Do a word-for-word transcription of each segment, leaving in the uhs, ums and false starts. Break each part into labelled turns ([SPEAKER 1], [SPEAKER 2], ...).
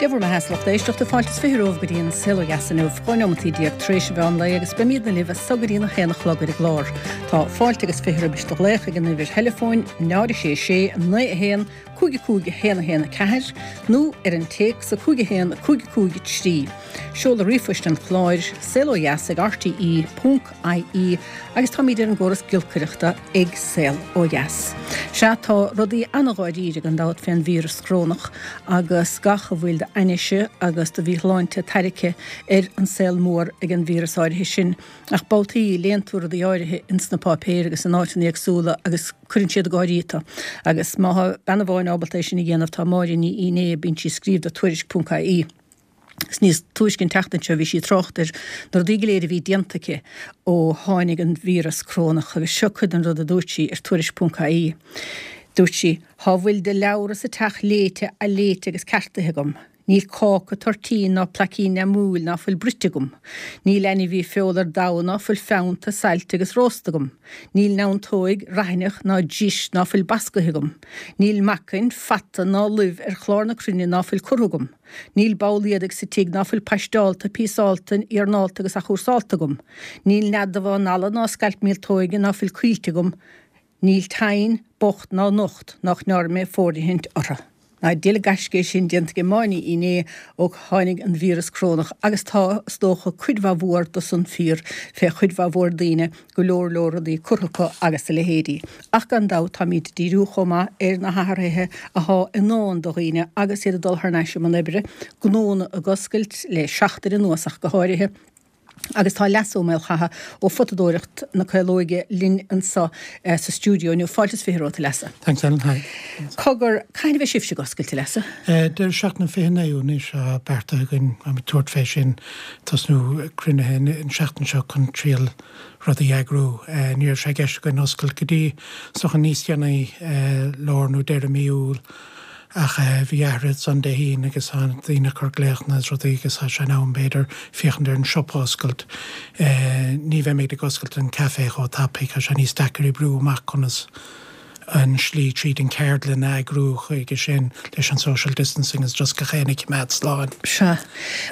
[SPEAKER 1] Dia bhur mbeatha, a lucht éisteachta fáilte is fiche romhaibh go dtí an Saol Ó Dheas inniu, dhá neomataí déag tar éis an mheán lae agus beimídne libh as so go dtí an haon a chlog ar an gclár. Tá fáilte agus fiche roimis do ghlaoch ag an uimhir theileafóin náid a sé sé naoi a haon cúig a cúig a haon a haon a ceathair nó ar an téacs a cúig a haon cúig a cúig a trí. Seoladh ríomhphoist an chláir, saol ó dheas ag rte ponc ie agus táimid ar an gcóras giolcaireachta ag Saol Ó Dheas. Sea, tá rudaí an-dháiríre gan dabht fén víreas corónach agus gach a bhfuil d'ainnise agus de mhíshláinte tarraicthe ar an saol mór ag an víreas áirithe sin. Ach babhtaí léann tú rudaí áirithe ins na páipéir agus in áiteanna éagsúla agus cuireann siad ag gáirí tú. Agus má thá bean amháin ábalta é sin a dhéanamh tá Máire Ní Fhinné, bíonn sí ag scríobh do Tuairisc ponc ie. Is níos túisce an tseachtain seo bhí sí ag trácht ar na rudaí go léir a bhí déanta aici ó tháinig an víreas corónach agus seo cuid den rud a dúirt sí ar Tuairisc ponc ie. Dúirt sí, Thá a bhfuil de leabhra sa teach léite, athléite agus ceartaithe agam. Níl cáca, toirtín ná plaicín neamúil ná fuil bruite agam. Níl ainmhí feola ar domhan ná fuil feannta, saillte agus rósta agam. Níl neantóig, raithneach ná dris ná fuil bascaithe agam. Níl meacain, fata ná luibh ar chlár na cruinne ná fuil curtha agam. Níl ball éadaigh sa tigh ná fuil paisteálta, píosálta, iarnálta agus athchúrsálta agam. Níl nead damhán alla ná scailp míoltóige ná fuil coillte agam. Níl tine bocht ná nocht nach ndearna mé fóirithint orthu. Ná diail gaisce é sin déanta ag Máire Ní Fhinné ó tháinig an víreas corónach agus tá, is dócha, cuid mhaith mhór de san fíor fé chuid mhaith mhór daoine, go leor leor rudaí curtha acu agus a leithéidí. Ach gan dabht táimíd ag díriú chomh maith ar na hathruithe athá i ndán do dhaoine agus iad ag dul thar n-ais i mbun oibre, gnónna ag oscailt le seachtain anuas ach go háirithe. Agus tá Leasa Ó Maolchatha ó Photadóireacht na Caolóige linn anseo sa stiúideo inniu. Fáilte is fiche romhat, a Leasa.
[SPEAKER 2] Thanks, Ellen. Hi.
[SPEAKER 1] Cogar, cathain a bheidh sibhse ag oscailt, a Leasa?
[SPEAKER 2] Deireadh seachtaine an fiche naoú anois atá beartaithe againn tabhairt fé sin, tosnú cruinnithe an tseachtain seo chun triail rudaí a eagrú. Ní raibh sé i gceist againn oscailt go dtí is dócha níos déanaí, lár nó deireadh mí Iúil. Ach bhí athruithe ansan Dé hAoine agus tá daoine ag cur glaochanna is rudaí agus tá sé in am b'fhéidir féachaint ar an siopa a oscailt. Ní bheimid ag oscailt an café chomh tapaidh, tá sé níos deacair oibriú amach conas an slí tríd an ceardlann a eagrú chuige sin leis an social distancing is just gach éinne a choimeád slán.
[SPEAKER 1] Sea.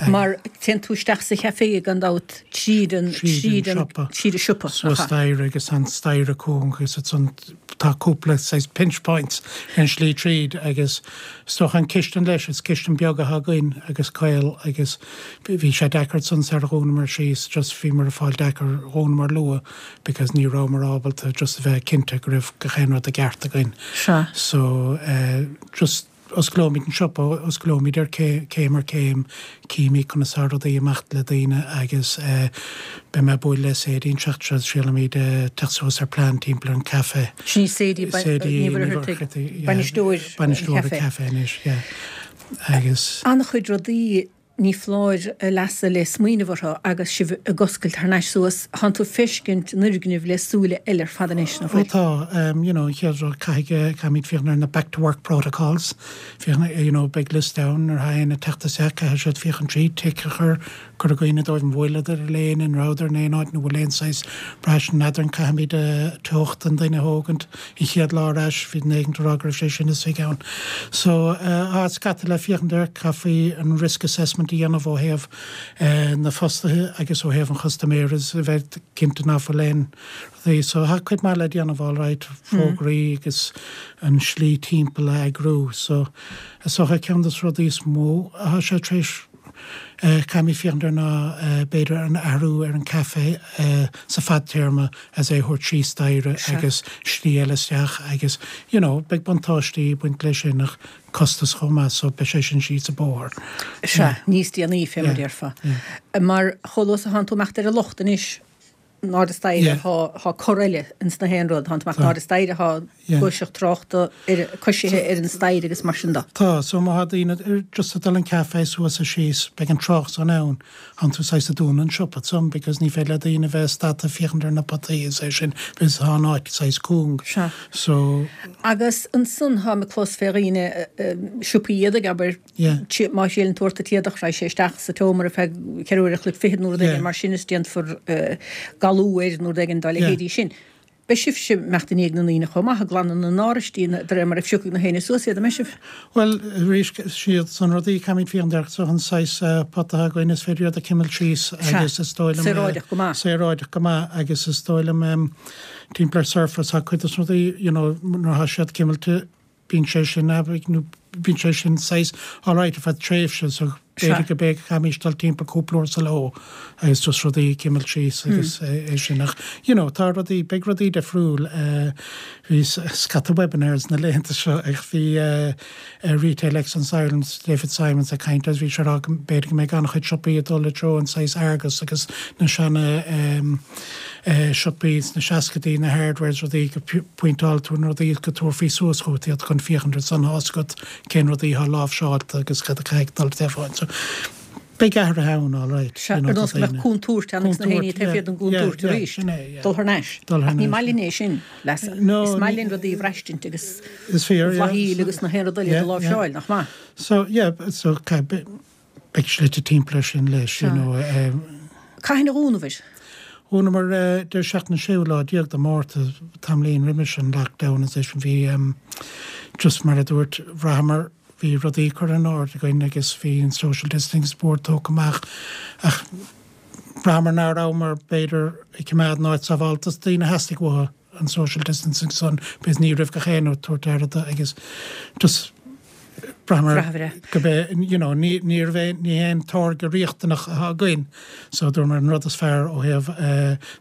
[SPEAKER 1] Mar téann tú isteach sa chafé gan dabht tríd an,
[SPEAKER 2] tríd an siopa.
[SPEAKER 1] Tríd an siopa.
[SPEAKER 2] Suas staighre agus an staighre cúng agus ansan tá cúpla saghas pinch points ar an slí tríd agus is dócha an cistin leis, is cistin beag atá againn agus caol agus bhí sé deacair ansan sar a dhúnamar síos just bhíomar ag fáil deacair dhúnamar luath because ní rabhamar ábalta just a bheith cinnte go raibh gach aon rud i gceart againn.
[SPEAKER 1] Sea.
[SPEAKER 2] So eh just osclóimid an siopa, osclóimid ar céim ar céim, címid conas tá rudaí ag imeacht le daoine agus eh beidh mé ag bualadh le Sadie an tseachtain seo, triailfimid teacht suas ar plean timpeall ar an caife.
[SPEAKER 1] Sin í Sadie, Ní Mhuircheartaigh, bainisteoir an
[SPEAKER 2] Bainisteoir an caife anois, yeah. Agus.
[SPEAKER 1] An-chuid rudaí ní foláir, a Leasa, le smaoineamh orthu agus sibh ag oscailt thar n-ais suas. Thánn tú ag feiscint an fhoirgnimh le súile eile ar fad anois, nach
[SPEAKER 2] bhfuil? Ó tá. You know, an chéad rud, caithfidh, caithfimid féachaint ar na back to work protocols. Féachaint, you know, beidh liosta ann nuair atá éinne ag teacht isteach, caithfidh siad féachaint tríd, tic a chur, cur i gcuimhne dóibh an bhfuileadar ar léine, an rabhadar in aon áit, nó bhfuil aon saghas braistint n'fheadar an caithfimid teocht an duine a thógaint an chéad lá ar ais, bhí duine éigin ag rá go raibh sé sin istigh ann. So, tá scata le féachaint air, caithfí an risk assessment a dhéanamh ó thaobh na fostaithe agus ó thaobh an chustaiméara is a bheith cinnte ná fuil aon rudaí. So, tá cuid maith le déanamh alright, fógraí agus an slí timpeall a eagrú. So, is dócha ceann de na rudaí is mó atá sé tar éis Caithfimid féachaint air ná b'fhéidir an athrú ar an caife sa fadtéarma as é a thabhairt síos staighre agus slí eile isteach agus you know beidh buntáistí ag baint leis sin ach costas chomh maith so beidh sé sin síos an bóthar.
[SPEAKER 1] Sea, níos déanaí fé mar a déarfá. Mar chomh luath is a thánn tú ag imeacht ar an lucht anois, in airde staighre thá cor eile ins na haon rud. Thánn tú amach in airde staighre thá gluaiseacht tráchta ar coisithe ar an staighre agus mar sin de.
[SPEAKER 2] Tá, so má thá daoine just ag dul an caife suas is síos beidh an trácht san ann. Thánn tú saghas ag dúnadh an siopa ansan because ní féidir le daoine bheith stadta ag féachaint ar na potaí is é sin because thá an áit saghas cúng.
[SPEAKER 1] Sea.
[SPEAKER 2] So.
[SPEAKER 1] Agus ansan tháim ag clos fé dhaoine siopaí éadaigh abair. Má thriaileann tú ort an t-éadach, raghaidh sé isteach sa tseomra ar feadh ceithre uair a chloig fichead nó rud éigin mar sin is déanfar galú air nó rud éigin dá leithéidí sin. Beidh sibhse ag imeacht i ndiaidh na ndaoine chomh maith, ag glanadh na n-áraistí de réir mar a phiocfaidh na héinne suas iad, an mbeidh sibh?
[SPEAKER 2] Bhuel, arís, siad san rudaí caithfimid féachaint air so an saghas pota atá againn is féidir iad a chimilt síos agus is dóigh liom
[SPEAKER 1] Saoráideach go maith.
[SPEAKER 2] Saoráideach go maith agus is dóigh liom timpeall ar Surface tá cuid de na rudaí, you know, nuair atá siad cimilte bíonn sé sin nó bíonn sé sin saghas alright ar feadh tréimhse so b'fhéidir go b'é caithfimís dul timpeall cúpla uair sa ló agus just rudaí a chimilt síos agus é sin ach you know tá rudaí beidh rudaí difriúil bhí scata webinars na laethanta seo ach bhí Retail Excellence Ireland David Simons ag caint agus bhí sé ag rá go b'fhéidir go mbeidh an-chuid siopaí ag dul i dtreo an saghas Argos agus na seana siopaí sna seascaidí na hardwares rudaí go pointeáil tú na rudaí go tabharfaí suas chugat iad chun féachaint ar son tá a fhios agat cén rudaí atá láimhseáilte agus cad a caithfidh dul taobh so beidh athruithe ann all right.
[SPEAKER 1] Sea, ar nós go mbeadh contúirt ann agus na héinne taobh thiar den gcontúirt arís. Dul thar n-ais. Ach ní maith linn é sin, leasa. Is maith linn rudaí a bhraistint agus blathaíl agus na haon rud eile a láimhseáil, nach maith?
[SPEAKER 2] So yeah, so beidh slite timpeall air sin leis, you know.
[SPEAKER 1] Cathain a dhúnabhair?
[SPEAKER 2] Dhúnamar deireadh seachtaine séú lá déag de Mhárta, tamaillín roimis an lockdown is é sin bhí just mar a dúirt bhraitheamar bhí rudaí curtha in ord againn agus bhí an social distancing board tógtha amach ach bhraitheamar nach rabhamar b'fhéidir ag coimeád an áit sábháilte dos daoine theastaigh uathu an social distancing san because ní raibh gach éinne ag tabhairt aire do agus just bhraitheamar go bé you know ní ní raibh aon ní haon táirge riachtanach atá againn so dúramar an rud is fearr ó thaobh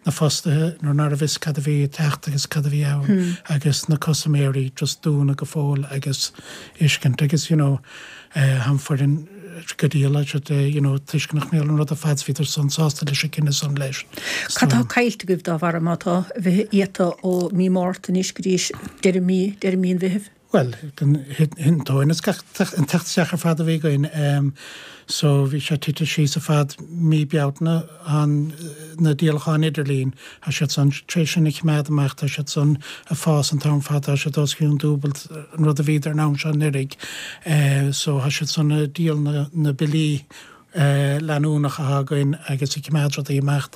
[SPEAKER 2] na fostaithe nuair nach raibh fhios cad a bhí ag teacht agus cad a bhí ann agus na custaiméirí just dúnadh go fóill agus fheiscint agus you know an foireann go díol siad you know toisc nach mbeadh an rud ar fad bhíodar san sásta leis an gcinneadh san leis.
[SPEAKER 1] Cad tá caillte agaibh dá bharr má tá bheith iata ó mí Márta anois go dtí deireadh mí deireadh mí an Mheithimh?
[SPEAKER 2] Bhuel, an tóin is gach an teacht isteach ar fad a bhí againn so bhí sé tite síos ar fad mí Bealtaine an na díolacháin idirlín tá siad san tar éis sin a choimeád amach tá siad san ag fás an t-am fad tá siad os cionn dúbailt an rud a bhíodar an am seo anuraidh so tá siad san ag díol na na billí leanúnach atá againn agus ag coimeád rudaí amach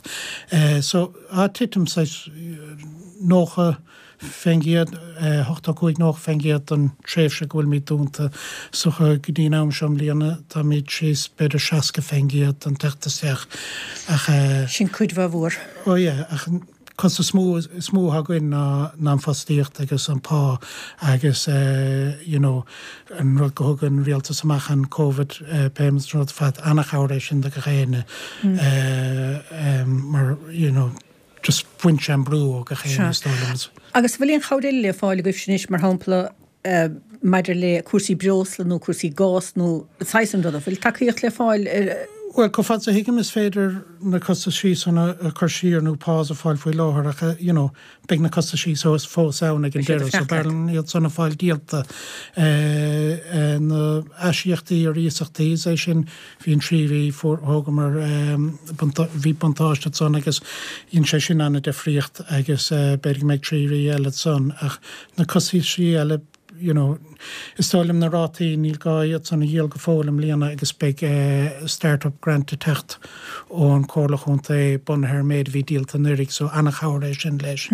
[SPEAKER 2] so tá titim saghas nócha faoin gcéad, ochtó cúig, nócha faoin gcéad don tréimhse go bhfuilimid dúnta. So go dtí an am seo i mbliana táimid síos b'fhéidir seasca faoin gcéad don teacht isteach
[SPEAKER 1] ach. Sin cuid mhaith mhór.
[SPEAKER 2] Ó yeah, ach an costas is mó is mó atá againn ná ná an fostaíocht agus an pá agus you know an rud go thug an rialtas amach an Covid payments rud fad an-chabhair é sin do gach éinne mar you know just bhain sé an brú ó gach éinne is dóigh liom.
[SPEAKER 1] Agus bhfuil aon chabhair eile le fáil agaibhse anois, mar shampla maidir le cúrsaí breosla nó cúrsaí gás nó saghas an ruda, bhfuil tacaíocht le fáil ar.
[SPEAKER 2] Bhuel, chomh fada is a thuigim is féidir na costaisí san a chur siar nó pause a fáil faoi láthair ach you know beidh na costaisí fós ann ag an deireadh so b'fhearr liom iad san a fáil díolta. Na aisíochtaí ar iasachtaí, is é sin Bhí an trí mhí, fuair, thógamar, bhí buntáiste ansan agus dhein sé sin an-difríocht agus b'fhéidir go mbeidh trí mhí eile ansan ach na costaisí eile, you know, is dóigh liom na rátaí, níl gá iad san a dhíol go fóill i mbliana agus beidh start-up grant ag teacht ón Chomhairle Chontae bunaithe ar an méid a bhí díolta anuraidh so an-chabhair é sin leis.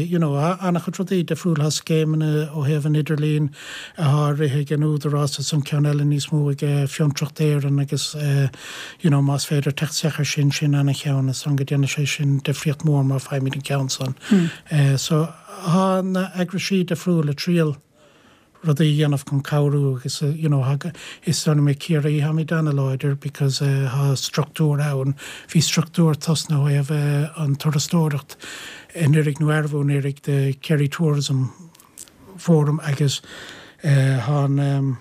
[SPEAKER 2] You know, an-chuid rudaí difriúla, tá scéimeanna ó thaobh an idirlín, atá á rith ag an Údarás is an ceann eile níos mó ag Fiontraíocht Éireann agus you know más féidir teacht isteach ar sin, sin ana-cheann is dóigh go déanfaidh sé sin difríocht mór má faighimid an ceann san. So tá na eagraisí difriúla ag triail rudaí a dhéanamh chun cabhrú agus you know is dóigh liom i Ciarraí táimid ana-láidir because tá struchtúr ann, bhí struchtúr tosnaithe ó thaobh an turasóireacht anuraidh nó arbh anuraidh the Kerry Tourism Forum agus tá an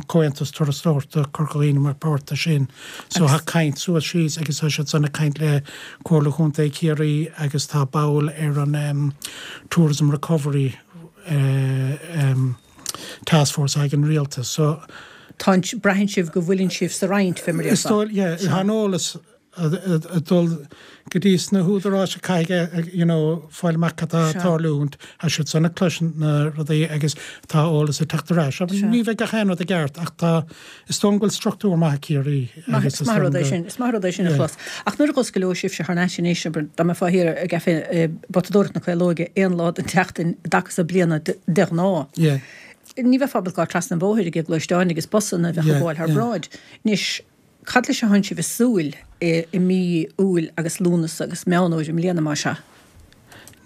[SPEAKER 2] Comhaontas Turasóireachta Corca Dhuibhne mar páirt de sin. So tá caint suas síos agus tá siad san ag caint le Comhairle Chontae Chiarraí agus tá ball ar an Tourism Recovery Task Force ag an Rialtas. So.
[SPEAKER 1] Tá, braitheann sibh go bhfuileann sibh sa roinnt, fé mar a
[SPEAKER 2] Is dóigh, yeah, tá an eolas. ag dul go dtí sna húdaráis a caithfidh you know fáil amach cad tá ag tarlúint, tá siad san ag cloisint na rudaí agus tá eolas ag teacht ar ais. Ní bheidh gach aon rud i gceart ach tá, is dóigh liom go bhfuil struchtúr maith ag Ciarraí
[SPEAKER 1] agus is maith rud é sin, is maith rud é sin a chlos. Ach nuair a dh'osclóidh sibhse thar n-ais anois, abair, dá mbeifeá thiar i gCaifé Potadóireacht na Caolóige aon lá den tseachtain i dtaca so bliana de ghnáth, ní bheifeá ábalta gabháil trasna an bhóthair ag gluaisteáin agus busanna a bheadh ag gabháil thar bráid. Anois, Cad leis a thánn sibh ag súil i mí Iúil agus Lúnasa agus Meán Fhómhair i mbliana, más ea?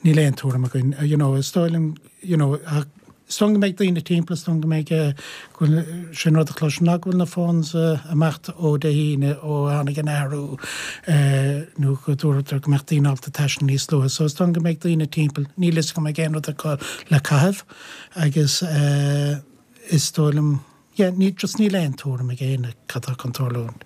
[SPEAKER 2] Níl aon tuairim againn. You know, is dóigh liom, you know, is dóigh liom go mbeidh daoine timpeall, is dóigh liom go mbeidh, go bhfuil, sin rud a chloisim ná go bhfuil na phones ag imeacht ó Dé hAoine ó tháinig an athrú nó go dúradar go mbeadh daoine ábalta taisteal níos luaithe. So is dóigh liom go mbeidh daoine timpeall. Níl fhios agam an mbeidh aon rud acu le caitheamh agus is dóigh liom, Yeah, ní, just níl aon tuairim ag éinne cad tá chun tarlúint,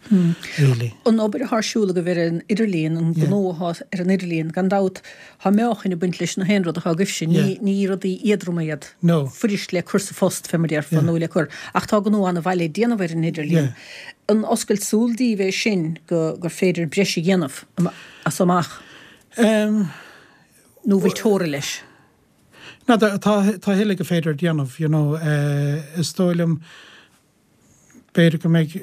[SPEAKER 1] really. An obair atá ar siúl agaibh ar an idirlíon, an gnó atá ar an idirlíon, gan dabht, tá meáchain ag baint leis na haon rud atá agaibhse, ní, ní rudaí éadroma iad, fuirist le cur sa phost, fé mar a déarfá, nó le cur, ach tá gnó an-mhaith le déanamh ar an idirlíon. An oscailt súl daoibh é sin go, gur féidir breis a dhéanamh as so amach? Nó bhfuil teora leis?
[SPEAKER 2] N'fheadar, tá a thuilleadh gur féidir a dhéanamh, you know, is dóigh liom, b'fhéidir go mbeidh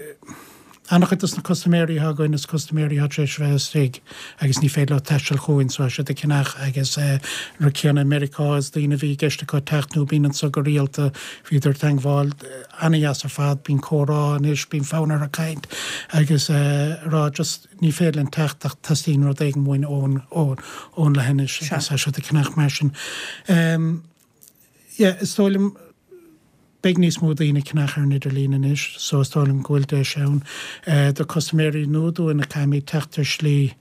[SPEAKER 2] an-chuid dos na custaiméirí atá againn, is custaiméirí atá tar éis a bheith istigh agus ní féidir leo taisteal chugainn so tá siad ag ceannach agus an rud céanna i Meiriceá is daoine a bhí i gceist acu teacht nó bíonn anso go rialta, bhíodar ag teangmháil an-dheas ar fad, bíonn comhrá anois, bíonn fonn orthu caint agus a rá just, Ní féidir linn teacht ach teastaíonn rud éigin uainn ón, ón, ón leithinis agus tá siad ag ceannach mar sin. Yeah, is dóigh liom, beidh níos mó daoine ag ceannach ar an idirlíon anois so is dóigh liom go bhfuil deis ann do custaiméirí nua dúinn a caithfimid teacht ar shlí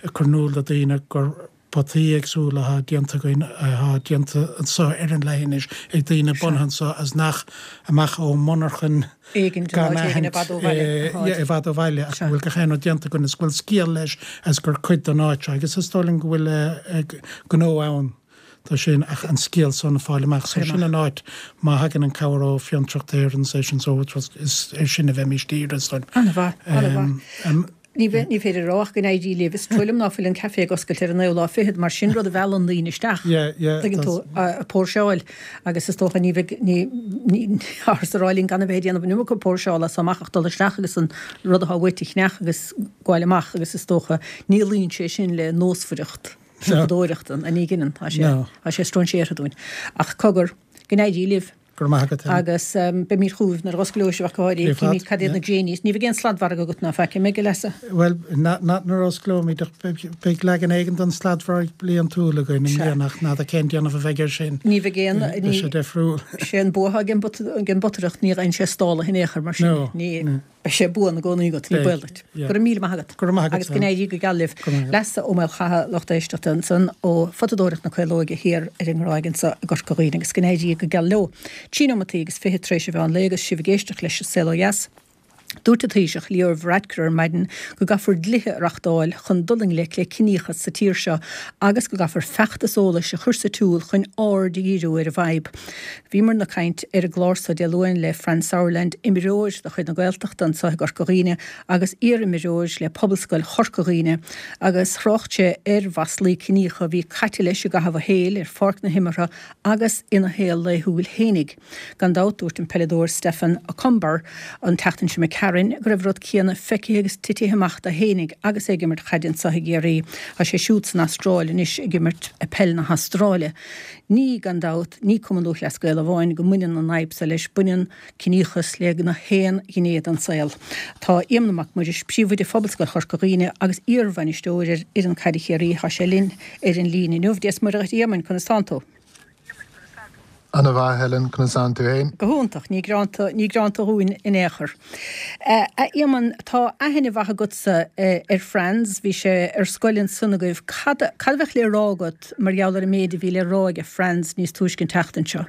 [SPEAKER 2] ag cur in iúl do daoine gur potaí éagsúla atá déanta againn, atá déanta anseo ar an leithinis ag daoine bunaithe anseo agus nach amach ó mhonarchan gan aithint i bhfad ó bhaile ach go bhfuil gach aon rud déanta againn is go bhfuil scéal leis agus gur cuid den áit seo agus is dóigh liom go bhfuil gnó ann do sin ach an scéal san a fáil amach. So sin an áit má thagann an cabhair ó Fiontraíocht Éireann is é sin so is ar sin a bheimís dírithe is dóigh liom.
[SPEAKER 1] An-mhaith, an-mhaith. Ní féidir a rá ach go n-éirí libh. Is trua liom ná fuil an caife ag oscailt ar an naoú lá fichead, mar sin rud a mheallann daoine isteach, tuigeann tú, ag póirseáil agus is dócha ní bheidh, ní, ní, táthar ag rá linn gan a bheith ag déanamh an iomarca póirseála as so amach ach dul isteach agus an rud atá uait a cheannach agus gabháil amach agus is dócha ní luíonn sé sin le nósmhaireacht siopadóireachta, ní ghineann, tá sé, tá sé stróinséartha dúinn. Ach cogar, go n-éirí libh.
[SPEAKER 2] Go raibh maith agat,
[SPEAKER 1] Helen. Agus beimid chugaibh nuair a osclóidh sibh ach go háirithe. Cífimid cad iad na gréiní. Ní bheidh aon sladmhargadh agat ná faic, an mbeidh, a Leasa?
[SPEAKER 2] Bhuel, not nuair a osclóimid ach beidh leagan éigin den sladmhargadh bliantúil againn i mbliana ach n'fheadar cén déanamh a bheidh air sin.
[SPEAKER 1] Ní bheidh aon,
[SPEAKER 2] Beidh sé difriúil.
[SPEAKER 1] Sé an bua atá ag an bpotaireacht, ní gheibheann sé stálaithe in aon chor mar sin.
[SPEAKER 2] No.
[SPEAKER 1] Beidh sé buan i gcónaí agat, ní baol duit. Go raibh míle maith agat.
[SPEAKER 2] Go raibh maith agat.
[SPEAKER 1] Agus go n-éirí go geal libh. Leasa Ó Maolchatha, lucht éisteachta ansan ó Photadóireacht na Caolóige thiar ar an nGráig anso i gCorca Dhuibhne agus go n-éirí go geal leo. Trí nóimeataí agus fiche tar éis an mheán lae agus sibh ag éisteacht leis An Saol Ó Dheas. Dúirt an Taoiseach Leo Varadkar ar maidin go gcaithfear dlíthe a reachtáil chun dul i ngleic le ciníochas sa tír seo agus go gcaithfear feachtas eolais a chur sa tsiúl chun aird a dhíriú ar an bhfadhb. Bhíomarna ag caint ar an gclár so Dé Luain le Franz Sauerland, imreoir de chuid na Gaeltachta anso i gCorca Dhuibhne agus iar-imreoir le Pobalscoil Chorca Dhuibhne agus thrácht sé ar mhaslaí ciníocha a bhí caite leis i gcaitheamh a shaoil ar pháirc na himeartha agus ina shaol laethúil fhéinig. Gan dabht, dúirt an peileadóir Stefan Okunbor an tseachtain seo imigh tharainn go raibh an rud céanna feicthe agus titithe amach dó fhéinig agus é ag imirt chaide anso i gCiarraí. Tá sé siúd san Astráil anois ag imirt peil na hAstráile. Ní, gan dabht, ní Cumann Lúthchleas Gael amháin go mbaineann an fhadhb so leis, baineann ciníochas le gach aon ghné den saol. Tá Éamonn Mac Muiris, Príomhoide Phobalscoil Chorca Dhuibhne agus iar-bhainisteoir ar fhoireann caide Chiarraí, tá sé linn ar an líne inniu. Dia 's Muire dhuit a Éamoinn, conas tánn tú?
[SPEAKER 3] Ana mhaith, Helen, conas tánn tú fhéin?
[SPEAKER 1] Go hiontach, ní greanta, ní greanta dhúinn in aon chor. A Éamoinn, tá aithne mhaith agatsa ar Franz, bhí sé ar scoil ansan agaibh. Cad, cad a bheadh le rá agat mar gheall ar an méid a bhí le rá aige Franz níos túisce an tseachtain seo?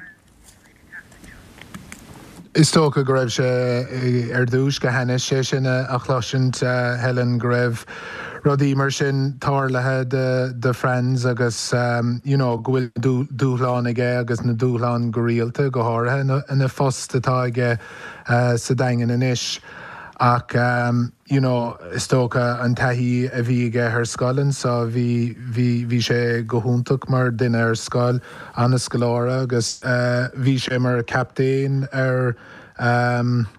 [SPEAKER 3] Is dócha go raibh sé ar dtús go hainnis é sin a chloisint, Helen, go raibh rudaí mar sin tarlaithe do Franz agus you know go bhfuil dúshláin aige agus na dúshláin go rialta, go háirithe ina phost atá aige sa Daingean anois. Ach um, you know, is dócha an taithí a bhí aige ar scoil anso bhí bhí bhí sé go hiontach mar duine ar scoil an-scoláire agus uh, bhí sé mar captaen ar um,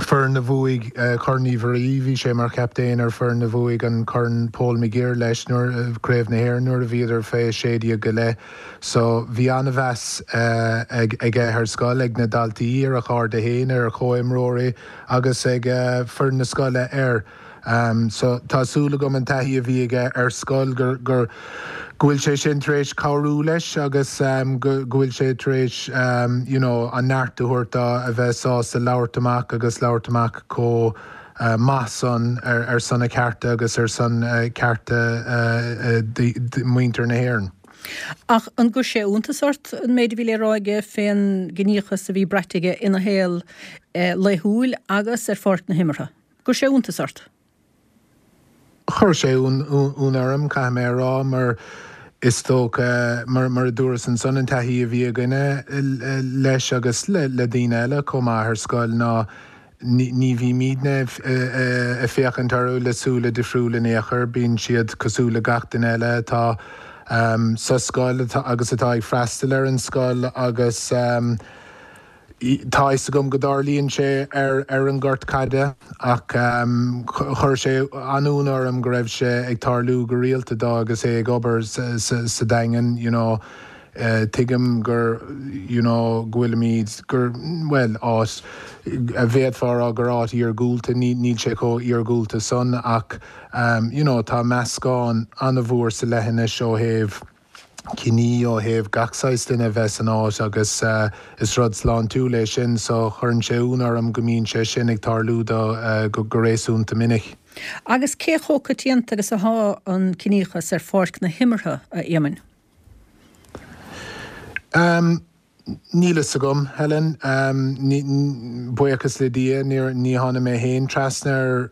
[SPEAKER 3] foireann a bhuaigh uh, Corn Uí Mhuirí bhí sé mar chaptaen ar foireann a bhuaigh an Corn Paul McGirr leis nuair uh, Craobh na hÉireann nuair a bhíodar fé sé déag go leith. So bhí an-mheas uh, ag aige ar scoil ag na daltaí ar a chairde féin ar a chomhimreoirí agus ag uh, foireann na scoile air. Um, so tá súil agam an taithí a bhí aige ar scoil gur gur go bhfuil sé sin tar éis cabhrú leis agus um, go bhfuil sé tar éis um, you know, an neart a thabhairt dó a bheith sásta labhairt amach agus labhairt amach chomh uh, maith san ar, ar son a cearta agus ar son uh, cearta uh, uh, muintir na hÉireann.
[SPEAKER 1] Ach an gcuir sé iontas ort an méid a bhí le rá aige fén gciníochas a bhí braite aige ina shaol eh, laethúil agus ar pháirc na himeartha. Gcuir sé iontas ort?
[SPEAKER 3] Chuir sé ionadh orm caithfidh mé a rá mar is dócha mar mar a dúras ansan an taithí a bhí againne leis agus le le daoine eile chomh maith ar scoil ná ní bhímidne ag féachaint orthu le súile difriúla in aon chor, bíonn siad cosúil le gach duine eile atá sa scoil agus atá ag freastal ar an scoil agus Tá fhios agam go dtarlaíonn sé ar ar an ngort caide ach chuir sé an-ionadh orm go raibh sé ag tarlú go rialta dó agus é ag obair sa Daingean you know tuigim gur you know go bhfuilimid gur bhuel áit a bhféadfá a rá gur áit iargúlta níl sé chomh iargúlta san ach you know tá meascán an-mhór sa leithinis ó thaobh ciní ó thaobh gach saghas duine a bheith san áit agus is rud sláintiúil é sin so chuireann sé ionadh orm go mbíonn sé sin ag tarlú dó go réasúnta minic.
[SPEAKER 1] Agus cé chomh coitianta agus atá an ciníochas ar pháirc na himeartha, a Éamoinn?
[SPEAKER 3] Níl fhios agam, Helen. Buíochas le Dia ní tháinig mé féin trasna air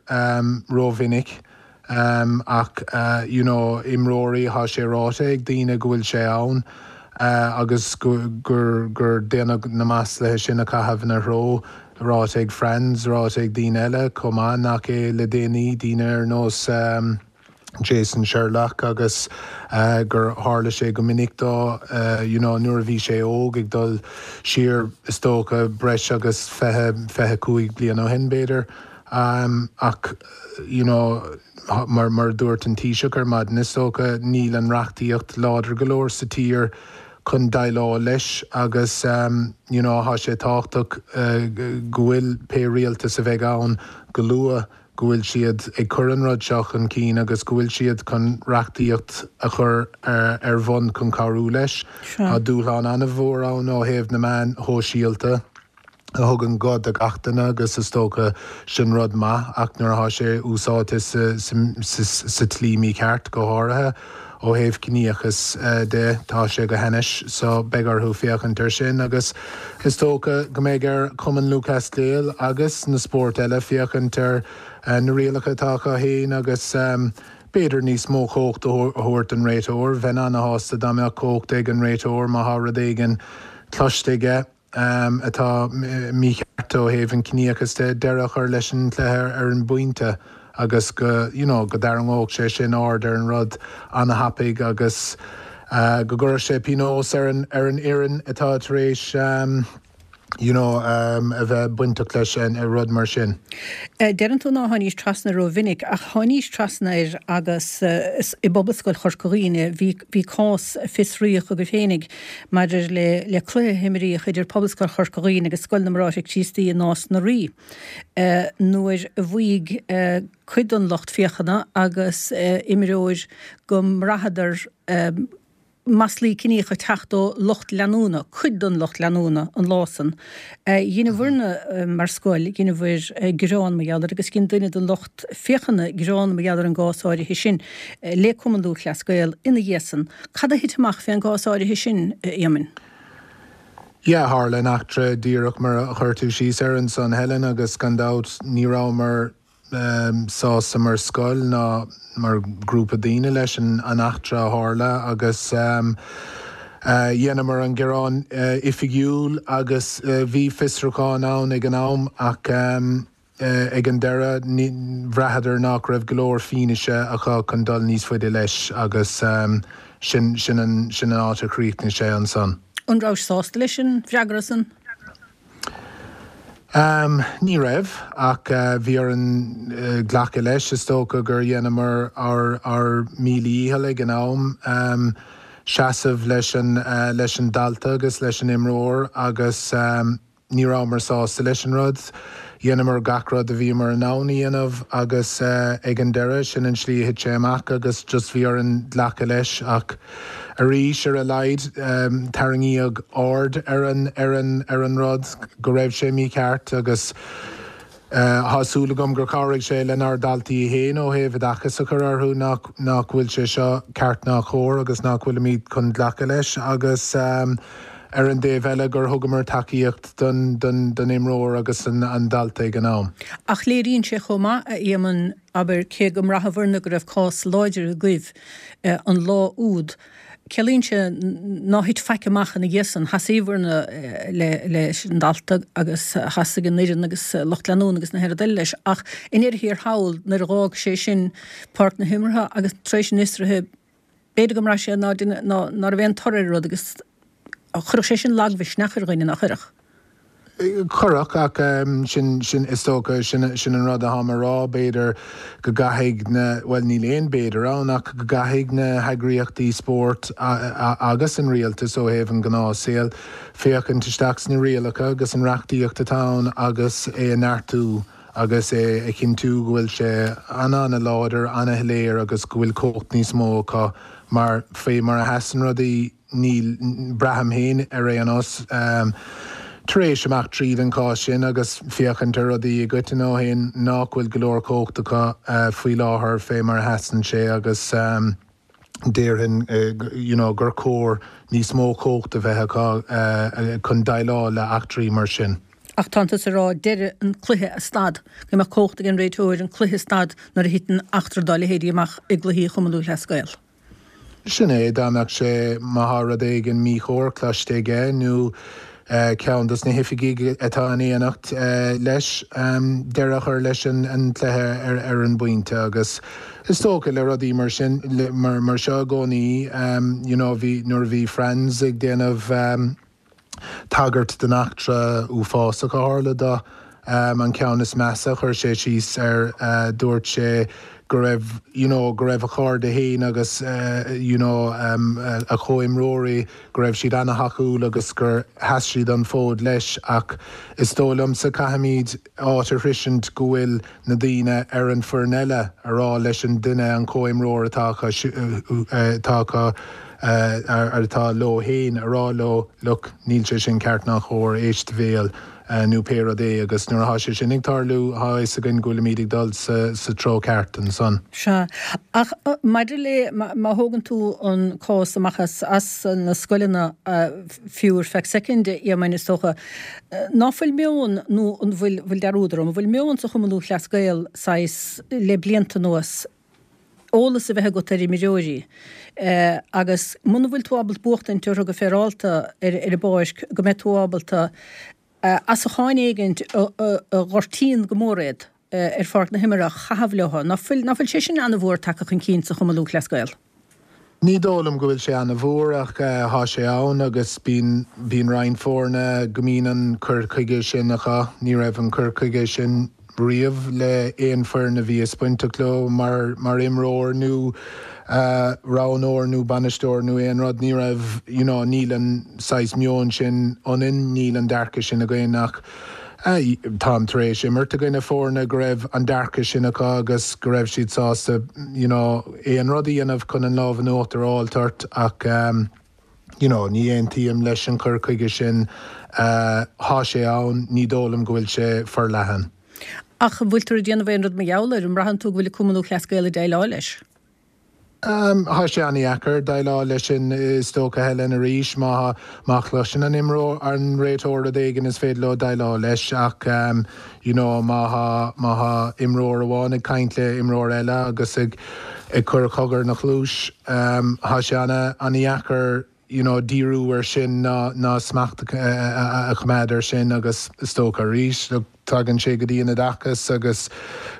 [SPEAKER 3] rómhinic. Ach you know imreoirí thá sé ráite ag daoine go bhfuil sé ann agus gur gur déanadh na maslaithe sin a chaitheamh ina threo, ráite ag Franz, ráite ag daoine eile chomh maith nach é le déanaí, daoine ar nós Jason Sherlock agus gur tharla sé go minic dó you know nuair a bhí sé óg ag dul siar is dócha breis agus fiche, fiche cúig bliain ó shin b'fhéidir. Ach you know mar mar a dúirt an Taoiseach ar maidin is dócha níl an reachtaíocht láidir go leor sa tír chun déileáil leis agus you know tá sé tábhachtach go bhfuil pé rialtas a bheidh ann go luath go bhfuil siad ag cur an rud seo chun cinn agus go bhfuil siad chun reachtaíocht a chur ar bhun chun cabhrú leis. Tá dúshlán an-mhór ann ó thaobh na meáin shóisialta. a thugann guth do gach duine agus is dócha sin rud maith ach nuair atá sé úsáidte sa tslí mícheart, go háirithe ó thaobh ciníochas de, tá sé go hainnis so beidh orthu féachaint air sin agus is dócha go mbeidh ar Chumann Lúthchleas Gael agus na spóirt eile féachaint ar na rialacha atá acu féin agus b'fhéidir níos mó cumhacht a thabhairt don réiteoir. Bheinn ana-shásta dá mbeadh cumhacht ag an réiteoir má thá rud éigin cloiste aige. atá mícheart ó thaobh an ciníochas de, deireadh a chur leis an chluiche ar an bpointe agus go you know go dtarraingeodh sé sin aird ar an rud an-thapaidh agus go gcuirfeadh sé pionós ar an ar an fhoireann atá tar éis you know a bheith bainteach leis an rud mar sin.
[SPEAKER 1] Deireann tú nár tháinís trasna rómhinic, ach tháinís trasna air agus i bPobalscoil Chorca Dhuibhne bhí bhí cás a fiosraíodh agaibh féinig maidir le le cluiche a himríodh idir Pobalscoil Chorca Dhuibhne agus Scoil na mBráithre Críostaí i Nás na Rí nuair a mhaígh cuid den lucht féachana agus imreoir go mbraitheadar maslaí ciníocha ag teacht ó lucht leanúna, cuid den lucht leanúna an lá san. Dheineabhairne mar scoil, dheineabhair gearán mar gheall air agus dhein duine den lucht féachana gearán mar gheall ar an gcás áirithe sin le Cumann Lúthchleas Gael ina dhiaidh san. Cad a thit amach fén gcás áirithe sin, a Éamoinn?
[SPEAKER 3] Yeah, tharla an eachtra díreach mar a chuir tú síos air ansan, Helen, agus gan dabht ní rabhamar sásta mar scoil ná mar ghrúpa daoine leis an eachtra a tharla agus dheineamar an gearán oifigiúil agus bhí fiosrúchán ann ag an am ach ag an deireadh bhraitheadar nach raibh go leor fianaise acu chun dul níos faide leis agus sin sin an sin an áit a chríochnaigh sé ansan.
[SPEAKER 1] An raibh sásta leis an bhfreagra san?
[SPEAKER 3] Um, ní raibh ach uh, bhí orainn uh, glacadh leis is dócha gur dheineamar ár ár míle dícheall ag an am um, seasamh leis an uh, leis an dalta agus leis an imreoir agus um, ní rabhamar sásta leis an rud. Dheineamar gach rud a bhíomar in ann a dhéanamh agus uh, ag an deireadh sin an slí a thit sé amach agus just bhí orainn glacadh leis ach arís ar a laghad um, tarraingíodh aird ar an ar an ar an rud go raibh sé mícheart agus uh, tá súil agam gur chabhraigh sé lenár ndaltaí féin ó thaobh oideachas a chur orthu nach nach bhfuil sé seo ceart ná cóir agus nach bhfuilimid chun glacadh leis agus um, ar an dtaobh eile gur thugamar tacaíocht don, don, don imreoir agus an, an dalta ag an am.
[SPEAKER 1] Ach léiríonn sé chomh maith a Éamoinn abair cé go mbraitheabhair go raibh cás láidir agaibh eh, an lá úd. Ciallaíonn sé nár thit faic amach ina dhiaidh san sheasaíobhair eh, le leis an dalta agus sheasaigh an fhoireann agus lucht leanúna agus na héad leis ach i ndeireadh thiar thall nuair a d'fhág sé sin páirc na himeartha agus tar éis an fhiosraithe b'fhéidir go mbraith sé ná ná raibh aon toradh ar rud agus chuirfeadh sé sin lagmhisneach ar dhuine nach gcuirfeadh.
[SPEAKER 3] Chuirfeadh ach um, sin sin is dócha sin sin an rud atá mé a rá b'fhéidir go gcaithfidh na well níl aon b'fhéidir ann ach go gcaithfidh na heagraíochtaí spóirt agus an rialtas ó thaobh an gnáthshaol féachaint isteach sna rialacha agus an reachtaíocht atá ann agus é a neartú agus é a chinntiú go bhfuil sé an-an-láidir an-shoiléir agus go bhfuil cumhacht níos mó acu mar fé mar a sheasann rudaí níl braithim féin ar aon nós um, tar éis amach tríd an cás sin agus féachaint ar rudaí i gcoitinne ó shin nach bhfuil go leor cumhacht acu uh, faoi láthair fé mar a sheasann sé agus um, déarfainn uh, you know, gur chóir níos mó cumhacht a bheith acu uh, chun déileáil le eachtraí mar sin.
[SPEAKER 1] Ach tá tú ag rá deireadh an cluiche a stad, go mbeadh cumhacht ag an réiteoir an cluiche stad nuair a thiteann eachtra dá leithéidí amach i gcluichí Chumann Lúthchleas Gael.
[SPEAKER 3] Sin é dá mbeadh sé má tá rud éigin míchóir cloiste aige nó uh, ceann dos na hoifigigh atá in éineacht uh, leis um, deireadh a chur leis an, an cluiche ar, ar an bpointe agus is dócha le rudaí mar sin le, mar, mar seo i gcónaí um, you know, bhí nuair a bhí Franz ag déanamh um, tagairt den eachtra uafásach a tharla dó um, an ceann is measa chuir sé síos ar uh, dúirt sé go raibh you know, go raibh a chairde féin agus uh, you know, um, uh, a chomhimreoirí go raibh siad an-thacúil agus gur sheas siad an fód leis ach is dóigh liomsa caithfimid áit a shroisint go bhfuil na daoine ar an bhfoireann eile a rá leis an duine an comhimreoir atá atá ar atá leo féin a rá leo look níl sé sin ceart ná cóir éist do bhéal nó pé rud é agus nuair atá sé sin ag tarlú tá a fhios againn go bhfuilimid ag dul sa, sa treo ceart ansan.
[SPEAKER 1] Sea ach maidir le má thógann tú an cás amach as as na scoileanna fiú ar feadh soicind a is dócha ná fuil meon nó an bhfuil bhfuil dearúd orm, bhfuil meon sa Chumann Lúthchleas Gael saghas le blianta anuas eolas a bheith agat ar imreoirí. Uh, agus muna bhfuil tú ábalta buachtaint orthu go féaráilte ar ar an bpáirc go mbeidh tú ábalta uh, asacháin éigint a ghortaíonn go mór iad uh, ar pháirc na himeartha a chaitheamh leo, ná fuil ná fuil sé sin an-mhór tagtha chun cinn sa Chumann Lúthchleas Gael.
[SPEAKER 3] Ní dóigh liom go bhfuil sé an-mhór ach tá sé ann agus bíonn bíonn roinnt foirne go mbíonn an cur chuige sin acu, ní raibh an cur chuige sin riamh le aon foireann a bhíos bainteach leo mar mar imreoir nó uh, roghnóir nó bainisteoir nó aon rud ní raibh you know, níl an saghas meon sin ionainn níl an dearcadh sin againn ach uh, táim tar éis imirt i gcoinne foirne go raibh an dearcadh sin acu agus go raibh siad sásta you know, aon rud a dhéanamh chun an lámh in uachtar a fháil ort ach um, you know, ní aontaím leis an cur chuige sin uh, tá sé ann ní dóigh liom go bhfuil sé forleathan.
[SPEAKER 1] Ach bhfuil tú ag déanamh aon rud mar gheall air an mbraitheann tú go bhfuil Cumann Lúthchleas Gael ag déileáil leis.
[SPEAKER 3] Um, Tá sé an-deacair déileáil leis sin is dócha Helen arís má má chloiseann an imreoir an réiteoir rud éigin is féidir leo déileáil leis ach um, you know, má má imreoir amháin ag caint le imreoir eile agus ag ag cur cogar ina chluais um, tá sé an-deacair you know, díriú ar sin ná ná smacht a choimeád ar sin agus is dócha arís tagann sé go dtí an oideachas agus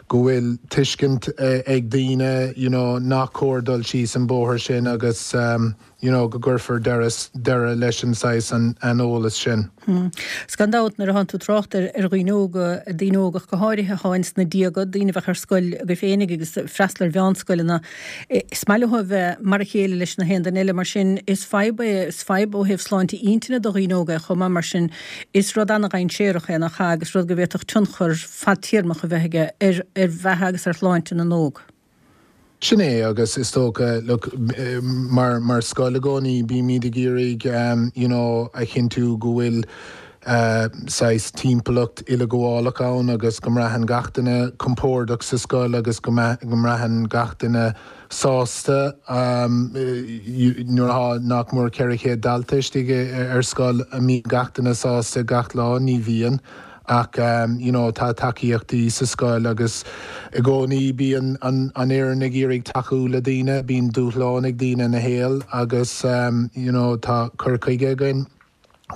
[SPEAKER 3] go bhfuil tuiscint ag daoine you know, nach cóir dul síos an bóthar sin agus um, you know, go gcuirfear deireadh leis an saghas an aineolas sin.
[SPEAKER 1] Hmm. 'S gan dabht nuair atánn tú ag trácht ar ar dhaoine óga, daoine óga go háirithe atá ins na déaga, daoine a bheadh ar scoil agaibh féinig agus ag freastal ar mheánscoileanna, is maith leo a bheith mar a chéile leis na haon duine eile, mar sin is fadhb é, is fadhb ó thaobh sláinte intinne do dhaoine óga é chomh maith, mar sin is rud an-dhainséarach é nach ea agus rud go bhféadfadh tionchar fadtéarmach a bheith aige ar ar bheatha agus ar shláinte na n-óg.
[SPEAKER 3] Sin é agus is dócha look mar mar scoil i gcónaí bímid ag iarraidh um, you know, a chinntiú go bhfuil uh, saghas timpeallacht uileghabhálach ann agus go mbraitheann gach duine compordach sa scoil agus go mbraitheann gach duine sásta um, nuair atá nach mór ceithre chéad dalta istigh ar scoil an mbíonn gach duine sásta gach lá ní bhíonn. Ach you know tá tacaíochtaí sa scoil agus i gcónaí bíonn an an fhoireann ag iarraidh tacú le daoine, bíonn dúshlán ag daoine ina shaol agus you know tá cur chuige againn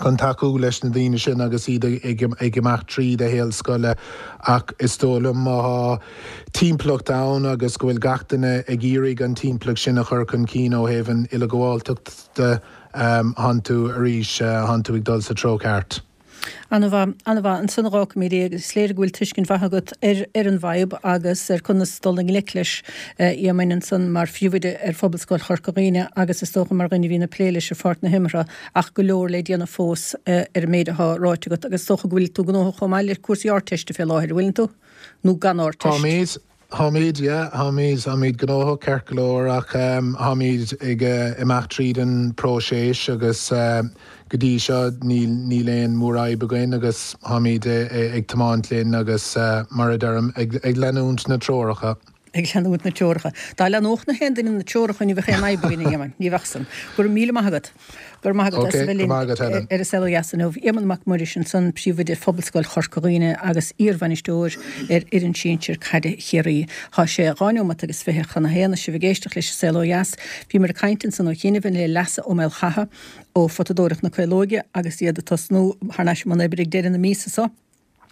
[SPEAKER 3] chun tacú leis na daoine sin agus iad ag ag imeacht tríd a shaol scoile ach is dóigh liom má tá timpeallacht ann agus go bhfuil gach duine ag iarraidh an timpeallacht sin a chur chun cinn ó thaobh an uileghabháltacht de, tánn tú arís, tánn tú ag dul sa treo ceart.
[SPEAKER 1] An-mhaith, an-mhaith. Ansan a dh'fhágfaimid é agus is léir go bhfuil tuiscint mhaith agat ar ar an bhfadhb agus ar conas dul i ngleic leis, a Éamoinn, ansan mar phríomhoide ar Phobalscoil Chorca Dhuibhne agus is dócha mar dhuine a bhíonn ag plé leis ar pháirc na himeartha ach go leor le déanamh fós ar an méid atá ráite agat agus is dócha go bhfuil tú gnóthach chomh maith le cúrsaí Ardteiste fé láthair, an bhfuileann tú? Nó gan Ardteist?
[SPEAKER 3] Táimid. Táimid, yeah, táimid, táimid gnóthach ceart go leor ach táimid ag imeacht tríd an próiseas agus go dtí seo níl, níl aon mhórfhadhb againn agus táimid ag tiomáint linn agus mar a deirim, ag, ag leanúint na treoracha.
[SPEAKER 1] Ag leanúint na treoracha. Dá leanódh na haon duine na treoracha ní bheadh aon fhadhb againn, a Éamoinn, ní bheadh san. Go raibh míle maith agat. Go raibh maith agat as a bheith linn ar an Saol Ó Dheas inniu. Éamonn Mac Muiris ansan, Príomhoide Phobalscoil Chorca Dhuibhne agus iarbhainisteoir ar fhoireann sinsir caide Chiarraí. Tá sé dhá neomat agus fiche chun a haon, sibh ag éisteacht leis an Saol Ó Dheas. Bhíomar ag caint ansan ó chianaibh le Leasa Ó Maolchatha ó Photadóireacht na Caolóige agus iad ag tosnú thar n-ais i mbun oibre ag deireadh na míosa seo.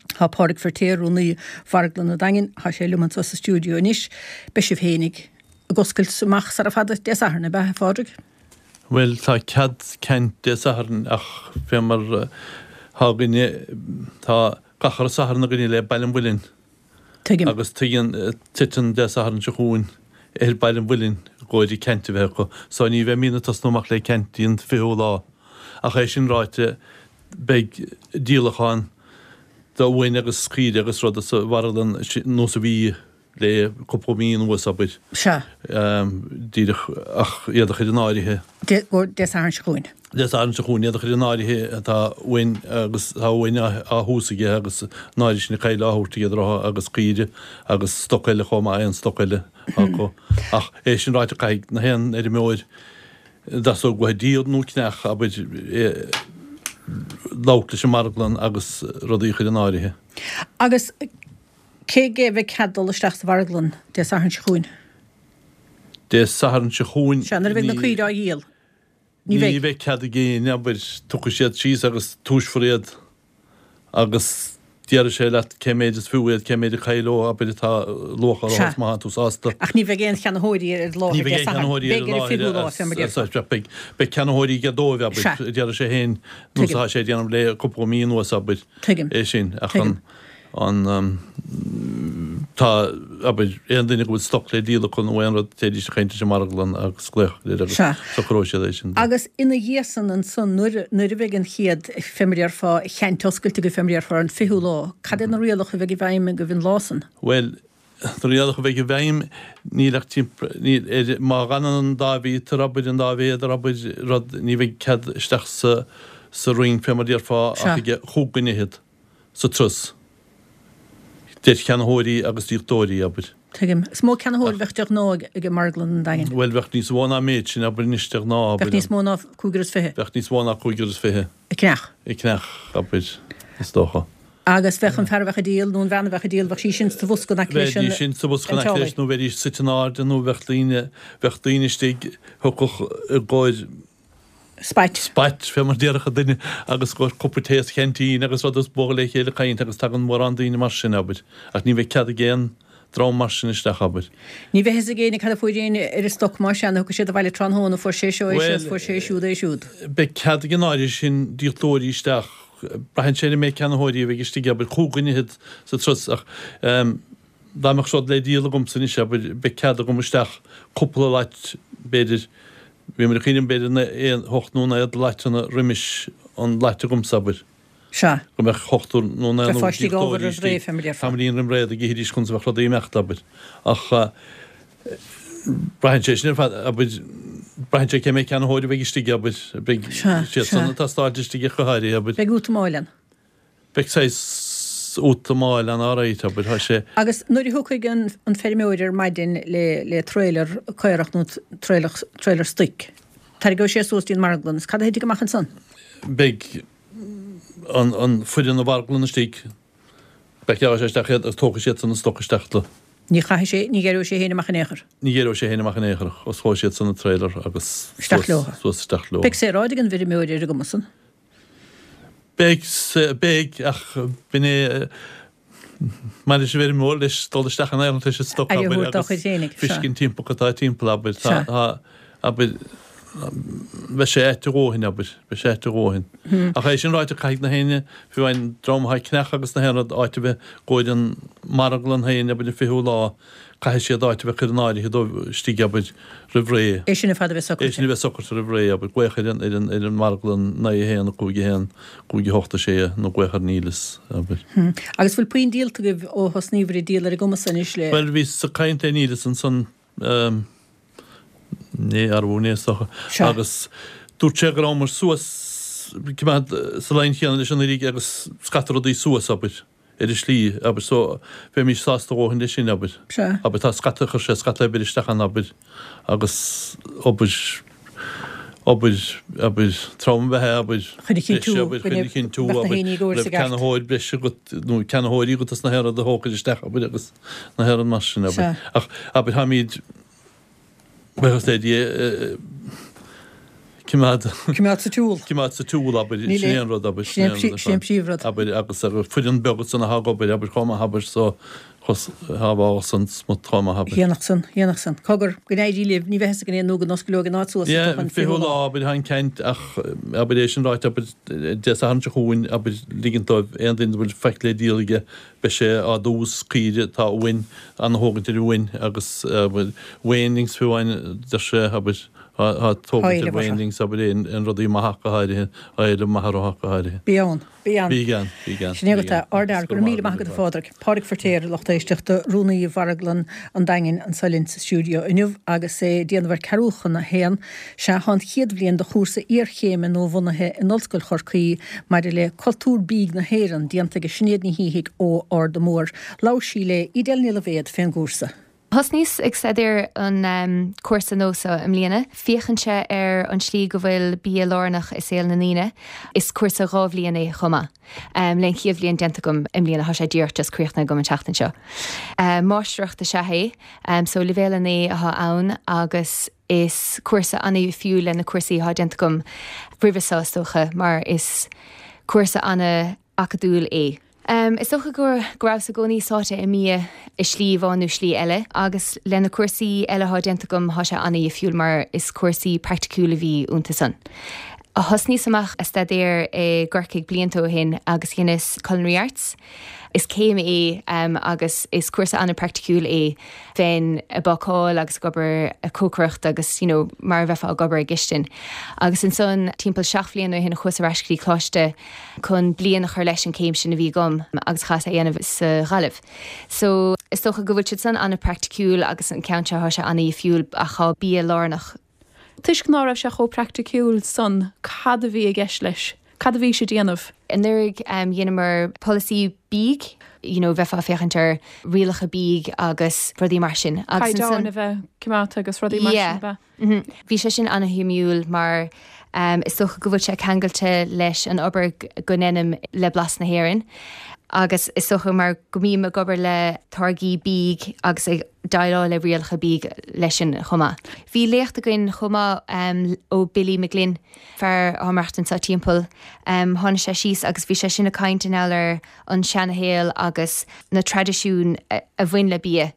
[SPEAKER 1] Tá Pádraig Feirtéar, Rúnaí Mharglann an Daingin, tá sé liom anso sa stiúideo anois. Beidh sibh fhéinig ag oscailt amach sara fada Dé Sathairn, ab ea, a Phádraig?
[SPEAKER 4] Bhuel, tá cead ceant Dé Sathairn ach fé mar tá againne, tá gach re Satharn againne le Baile an Mhuilinn.
[SPEAKER 1] Tuigim.
[SPEAKER 4] Agus tuigeann, titeann Dé Sathairn seo chugainn ar Baile an Mhuilinn i gcomhair an ceant a bheith acu. So ní bheimídne ag tosnú amach le ceant dtí an fichiú lá. Ach é sin ráite, beidh díolachán d'uain agus caoire agus rud sa mharglann nós a bhí le cúpla mí anuas, abair.
[SPEAKER 1] Sea.
[SPEAKER 4] Díreach ach iad a chur in áirithe.
[SPEAKER 1] Dé Sathairn seo chugainn.
[SPEAKER 4] Dé Sathairn seo chugainn, iad a chur in áirithe tá uain agus tá uain á thomhas aige agus an áirithe sin coill á thabhairt aige rotha agus caoire agus stoc eile chomh maith, aon stoc eile acu. Ach é sin ráite caithfidh na haon fheirmeoir dteastódh uathu díol nó ceannach, abair, labhairt leis an marglann agus rudaí a chur in áirithe.
[SPEAKER 1] Agus cé aige a bheidh cead dul isteach sa mharglann Dé Sathairn seo chugainn?
[SPEAKER 4] Dé Sathairn seo chugainn,
[SPEAKER 1] Sea, nuair a bheidh na caoire á dhíol. Ní bheidh.
[SPEAKER 4] Ní bheidh cead ag éinne, abair, tiocfaidh siad síos agus tomhaisfear iad agus déarfaidh sé leat cé méid is fiú iad, cé méid a cailleadh, abair, atá luach orthu
[SPEAKER 1] Sea.
[SPEAKER 4] is má tá tú sásta.
[SPEAKER 1] Ach ní bheidh aon cheannaitheoirí ar
[SPEAKER 4] Ní
[SPEAKER 1] láthair
[SPEAKER 4] bheidh
[SPEAKER 1] Dé
[SPEAKER 4] aon
[SPEAKER 1] Sathairn.
[SPEAKER 4] cheannaitheoirí ar
[SPEAKER 1] Beidh ar an fichiú lá, fé mar
[SPEAKER 4] láthair
[SPEAKER 1] déarfá.
[SPEAKER 4] Beidh, beidh ceannaitheoirí aige dóibh, abair,
[SPEAKER 1] Sea.
[SPEAKER 4] déarfaidh sé féin, nós
[SPEAKER 1] Tuigim.
[SPEAKER 4] atá sé ag déanamh le cúpla mí anuas, abair,
[SPEAKER 1] Tuigim.
[SPEAKER 4] é sin. Ach
[SPEAKER 1] Tuigim.
[SPEAKER 4] an, an, tá, abair, aon duine go bhfuil stoc le díol acu nó aon rud, téidís ag caint leis an marglann agus glaoch air agus
[SPEAKER 1] Sea.
[SPEAKER 4] socróidh siad é sin.
[SPEAKER 1] Agus ina dhiaidh san ansan, nuair, nuair a bheidh an chéad, fé mar a déarfá, cheant oscailte agaibh, fé mar a déarfá, ar an fichiú lá, cad é na rialacha a bheidh i bhfeidhm agaibh an lá san?
[SPEAKER 4] Bhuel, na rialacha a bheidh i bhfeidhm, níl ach timp-, níl, ar, má fhanann an dá mhíotar, abair, an dá mhéadar, abair, rud, ní bheidh cead isteach sa, sa rinc, fé mar a déarfá,
[SPEAKER 1] Sea.
[SPEAKER 4] ach ag chúig dhuine fhichead. sa turas. Idir cheannaitheoirí agus díoltóirí, abair.
[SPEAKER 1] Tuigim. Is mó ceannaitheoir a bheadh de ghnáth ag marglann an Daingin.
[SPEAKER 4] Bhuel, bheadh níos mó ná an méid sin, abair, anois de ghnáth, abair.
[SPEAKER 1] Bheadh níos mó ná cúigear is fiche.
[SPEAKER 4] Bheadh níos mó ná cúigear is fiche.
[SPEAKER 1] Ag ceannach.
[SPEAKER 4] Ag ceannach, abair, is dócha.
[SPEAKER 1] Agus bheadh an fear a bheadh ag díol nó an bhean a bheadh ag díol, bheadh sí sin sa bhosca in aice leis an.
[SPEAKER 4] Bheidís sin sa bhosca in aice leis nó bheidís suite in airde nó bheadh daoine, bheadh daoine istigh, thiocfadh i gcomhair.
[SPEAKER 1] Spait.
[SPEAKER 4] Spait, fé mar déarfadh duine, agus i gcomhair cupa tae sa cheaintín agus rud is bualadh le chéile ag caint agus tagann mórán daoine mar sin, abair. Ach ní bheidh cead ag aon dream mar sin isteach, abair.
[SPEAKER 1] Ní bheidh fhios ag éinne cad a fuair éinne ar an stoc más ea, nó thiocfadh siad abhaile tráthnóna, fuair sé seo é seo is fuair sé siúd é siúd.
[SPEAKER 4] Beidh cead ag an áirithe sin díoltóirí isteach, braitheann sé ar an méid ceannaitheoirí a bheidh istigh, abair, cúig dhuine fhichead sa turas ach dá mbeadh rud le díol agamsa anois, abair, beidh cead agam isteach cúpla lait, b'fhéidir, Bhíomar ag cuimhneamh b'fhéidir na aon hocht nó naoi de laiteanna roimis an lait agamsa, abair.
[SPEAKER 1] Sea.
[SPEAKER 4] Go mbeadh ochtar nó naonúr
[SPEAKER 1] Bheifeá istigh ábhar
[SPEAKER 4] díoltóirí
[SPEAKER 1] roimh ré,
[SPEAKER 4] istigh
[SPEAKER 1] fé mar a déarfá.
[SPEAKER 4] tamaillín roim ré dá gcífidís conas a bheadh rudaí ag imeacht, abair. Ach braitheann sé sin ar fad, abair, braitheann sé cé mhéad ceannaitheoir a bheidh istigh, abair. Beidh
[SPEAKER 1] Sea,
[SPEAKER 4] siad
[SPEAKER 1] sea.
[SPEAKER 4] san ag tástáilt istigh ach go háirithe, abair.
[SPEAKER 1] Beidh útamáil ann.
[SPEAKER 4] Beidh saghas útamáil ann alright, abair, tá sé.
[SPEAKER 1] Agus nuair a thiocfaidh an an feirmeoir ar maidin le le trailer caorach nó trailer trailer stoic, tarraingeoidh sé suas dtí an marglann, is cad a thitfidh amach ansan?
[SPEAKER 4] Beidh an an foireann na marglainne istigh, pacáilfidh sé isteach iad agus tógfaidh siadsan an stoc isteach do.
[SPEAKER 1] Ní chaithfidh sé, ní ghéaróidh sé féin amach in aon chor.
[SPEAKER 4] Ní ghéaróidh sé féin amach in aon chor, osclóidh siadsan an trailer agus
[SPEAKER 1] Isteach
[SPEAKER 4] suas
[SPEAKER 1] leo.
[SPEAKER 4] suas isteach leo.
[SPEAKER 1] Beidh saoráid ag an bhfeirmeoir ar an gcuma san.
[SPEAKER 4] Beidh, beidh, ach b'in é mar is bhfeirmeoir leis dul isteach in aon leis an stoc,
[SPEAKER 1] Aire a
[SPEAKER 4] abair,
[SPEAKER 1] thabhairt dá
[SPEAKER 4] agus
[SPEAKER 1] chuid féinig, sea.
[SPEAKER 4] fiscint timpeall cad tá timpeall, abair, tá,
[SPEAKER 1] Sea.
[SPEAKER 4] tá, abair, beidh sé ait a dhóthain, abair, beidh sé ait a dhóthain. Ach é sin ráite, caithfidh na héinne, fiú amháin dream atá ag ceannach agus na haon rud, áit a bheith i gcomhair an marglann féin, abair, an fichiú lá, Caithfidh siad áit a bheith curtha in áirithe dóibh istigh, abair, roimh ré.
[SPEAKER 1] É sin ar fad a bheith
[SPEAKER 4] É sin a
[SPEAKER 1] socraithe.
[SPEAKER 4] bheith socraithe roimh ré, abair, glaoch ar an, ar an, ar an marglann naoi a haon, a cúig a haon, cúig a hocht a sé, nó glaoch ar Neilus, abair.
[SPEAKER 1] Agus bhfuil puinn díolta agaibh ó thosnaíobhair ag díol ar an gcuma san anois le.
[SPEAKER 4] Bhuel, bhíos ag caint le Neilus ansan, inné, arbú inné is dócha,
[SPEAKER 1] Sea.
[SPEAKER 4] agus dúirt sé go rabhamar suas, coimeád sa line chéanna leis anuraidh agus scata rudaí suas, abair. ar an slí, abair, so bheimis sásta a dhóthain leis sin, abair.
[SPEAKER 1] Sea.
[SPEAKER 4] Abair, tá scata, chuir sé scata oibre isteach ann, abair, agus obair, obair, abair, trom ab ea é, abair,
[SPEAKER 1] Chun a
[SPEAKER 4] breise,
[SPEAKER 1] chinntiú
[SPEAKER 4] abair,
[SPEAKER 1] go
[SPEAKER 4] chun a
[SPEAKER 1] mbeadh
[SPEAKER 4] chinntiú,
[SPEAKER 1] na
[SPEAKER 4] abair,
[SPEAKER 1] héinní i gcomhair
[SPEAKER 4] go raibh
[SPEAKER 1] sa gceart.
[SPEAKER 4] ceannaitheoir breise agat, nó ceannaitheoirí agat as na haon rud a thógfair isteach, abair, agus na haon rud mar sin, abair.
[SPEAKER 1] Sea.
[SPEAKER 4] Ach, abair, táimid, Buíochas le Dia, coimeád.
[SPEAKER 1] Coimeád sa tsiúl.
[SPEAKER 4] Coimeád sa tsiúl, abair,
[SPEAKER 1] Níl
[SPEAKER 4] sin
[SPEAKER 1] aon.
[SPEAKER 4] é an rud, abair, sin
[SPEAKER 1] Sin
[SPEAKER 4] é an rud ar
[SPEAKER 1] sin
[SPEAKER 4] fad.
[SPEAKER 1] príomhrud.
[SPEAKER 4] Abair, agus abair, foireann beag ansan atá ag obair, abair, chomh maith, abair, so, chos, tá bhá san smut chomh maith, abair.
[SPEAKER 1] Dhéanfadh san, dhéanfadh san. Cogar, go n-éirí libh, ní bheidh fhios againn aon nó go n-osclóidh an áit suas
[SPEAKER 4] Yeah,
[SPEAKER 1] an
[SPEAKER 4] fichiú
[SPEAKER 1] fichiú
[SPEAKER 4] lá,
[SPEAKER 1] lá.
[SPEAKER 4] abair, tá an ceant, ach, abair, é sin ráite, abair, Dé Sathairn seo chugainn, abair, ligint dóibh aon duine a bhfuil faic le díol aige, Beidh sé á dtomhas, caoire atá uainn, ana-thógaint ar uain agus abair weanlings fiú amháin deir sé, abair, tá tógaint ar weanlings, abair, aon aon rudaí maith ach go háirithe, á éileamh maith orthu ach go háirithe.
[SPEAKER 1] Bí ann, bí ann.
[SPEAKER 4] Bígí ann, bígí ann,
[SPEAKER 1] Sin é
[SPEAKER 4] bígí
[SPEAKER 1] agat é.
[SPEAKER 4] ann.
[SPEAKER 1] Ardfhear, go raibh míle maith agat a Phádraig. Pádraig Feirtéar, a lucht éisteachta, Rúnaí Mharglann an Daingin anso linn sa stiúideo inniu agus é ag déanamh ar ceathrú chun a haon. Sea, tá an chéad bhliain de chúrsa iarchéime nua-bhunaithe in Ollscoil Chorcaí maidir le cultúr bídh na hÉireann déanta ag Sinéad Ní Shíthigh ó Ard an Mhóir. Labhair sí le Edel Ní Loibhéad fén gcúrsa.
[SPEAKER 5] Thosnaíos ag staidéar an cúrsa nua seo i mbliana. Féachann sé ar an slí go bhfuil bia lárnach i saol na ndaoine. Is cúrsa dhá bhliain é chomh maith. Le an chéad bhliain déanta agam i mbliana, tá sé díreach just críochnaithe agam an tseachtain seo. Máistreacht is ea é, so leibhéal a naoi atá ann agus is cúrsa an-difriúil le na cúrsaí atá déanta agam roimhe seo is dócha mar is cúrsa an-acadúil é. Is dócha go go rabhas i gcónaí sáite i mbia i slí amháin nó slí eile agus le na cúrsaí eile atá déanta agam tá sé an-difriúil mar is cúrsaí praiticiúil a bhí iontu san. Thosnaíos amach ag staidéar i gCorcaigh blianta ó shin agus dheineas Culinary Arts. Is céim é agus is cúrsa an-praiticiúil é. Bheinn ag bácáil agus ag obair ag cócaireacht agus you know mar a bheifeá ag obair i gcistin. Agus ansan timpeall seacht bhliain ó shin chuas ar ais go dtí coláiste chun bliain a chur leis an céim sin a bhí agam agus chaitheas é a dhéanamh sa Ghaillimh. So is dócha go bhfuil siad san an-praiticiúil agus an ceann seo tá sé an-difriúil ach tá bia lárnach.
[SPEAKER 6] Toisc ná raibh sé chomh praiticiúil san, cad a bhí i gceist leis? Cad a bhí sé déanamh?
[SPEAKER 5] Anuraidh dheineamar polasaí bídh, you know bheifeá ag féachaint ar rialacha bídh agus rudaí mar sin agus
[SPEAKER 6] Caighdeáin
[SPEAKER 5] ansan
[SPEAKER 6] a bheith coimeádta agus rudaí mar sin,
[SPEAKER 5] Yeah.
[SPEAKER 6] ab ea?
[SPEAKER 5] Mhm. Bhí sé sin an-shuimiúil mar is dócha go bhfuil sé ceangailte leis an obair go ndeinim le Blas na hÉireann. Agus is dócha mar go mbím ag obair le táirgí bídh agus ag déileáil le rialacha bídh leis sin chomh maith. Bhí léacht againn chomh maith um, ó Billy McGlynn, fear atá ag maireachtaint sa timpeall. Um, tháinig sé síos agus bhí sé sin ag caint in ar an seanashaol agus na traidisiúin a, a bhain le bia.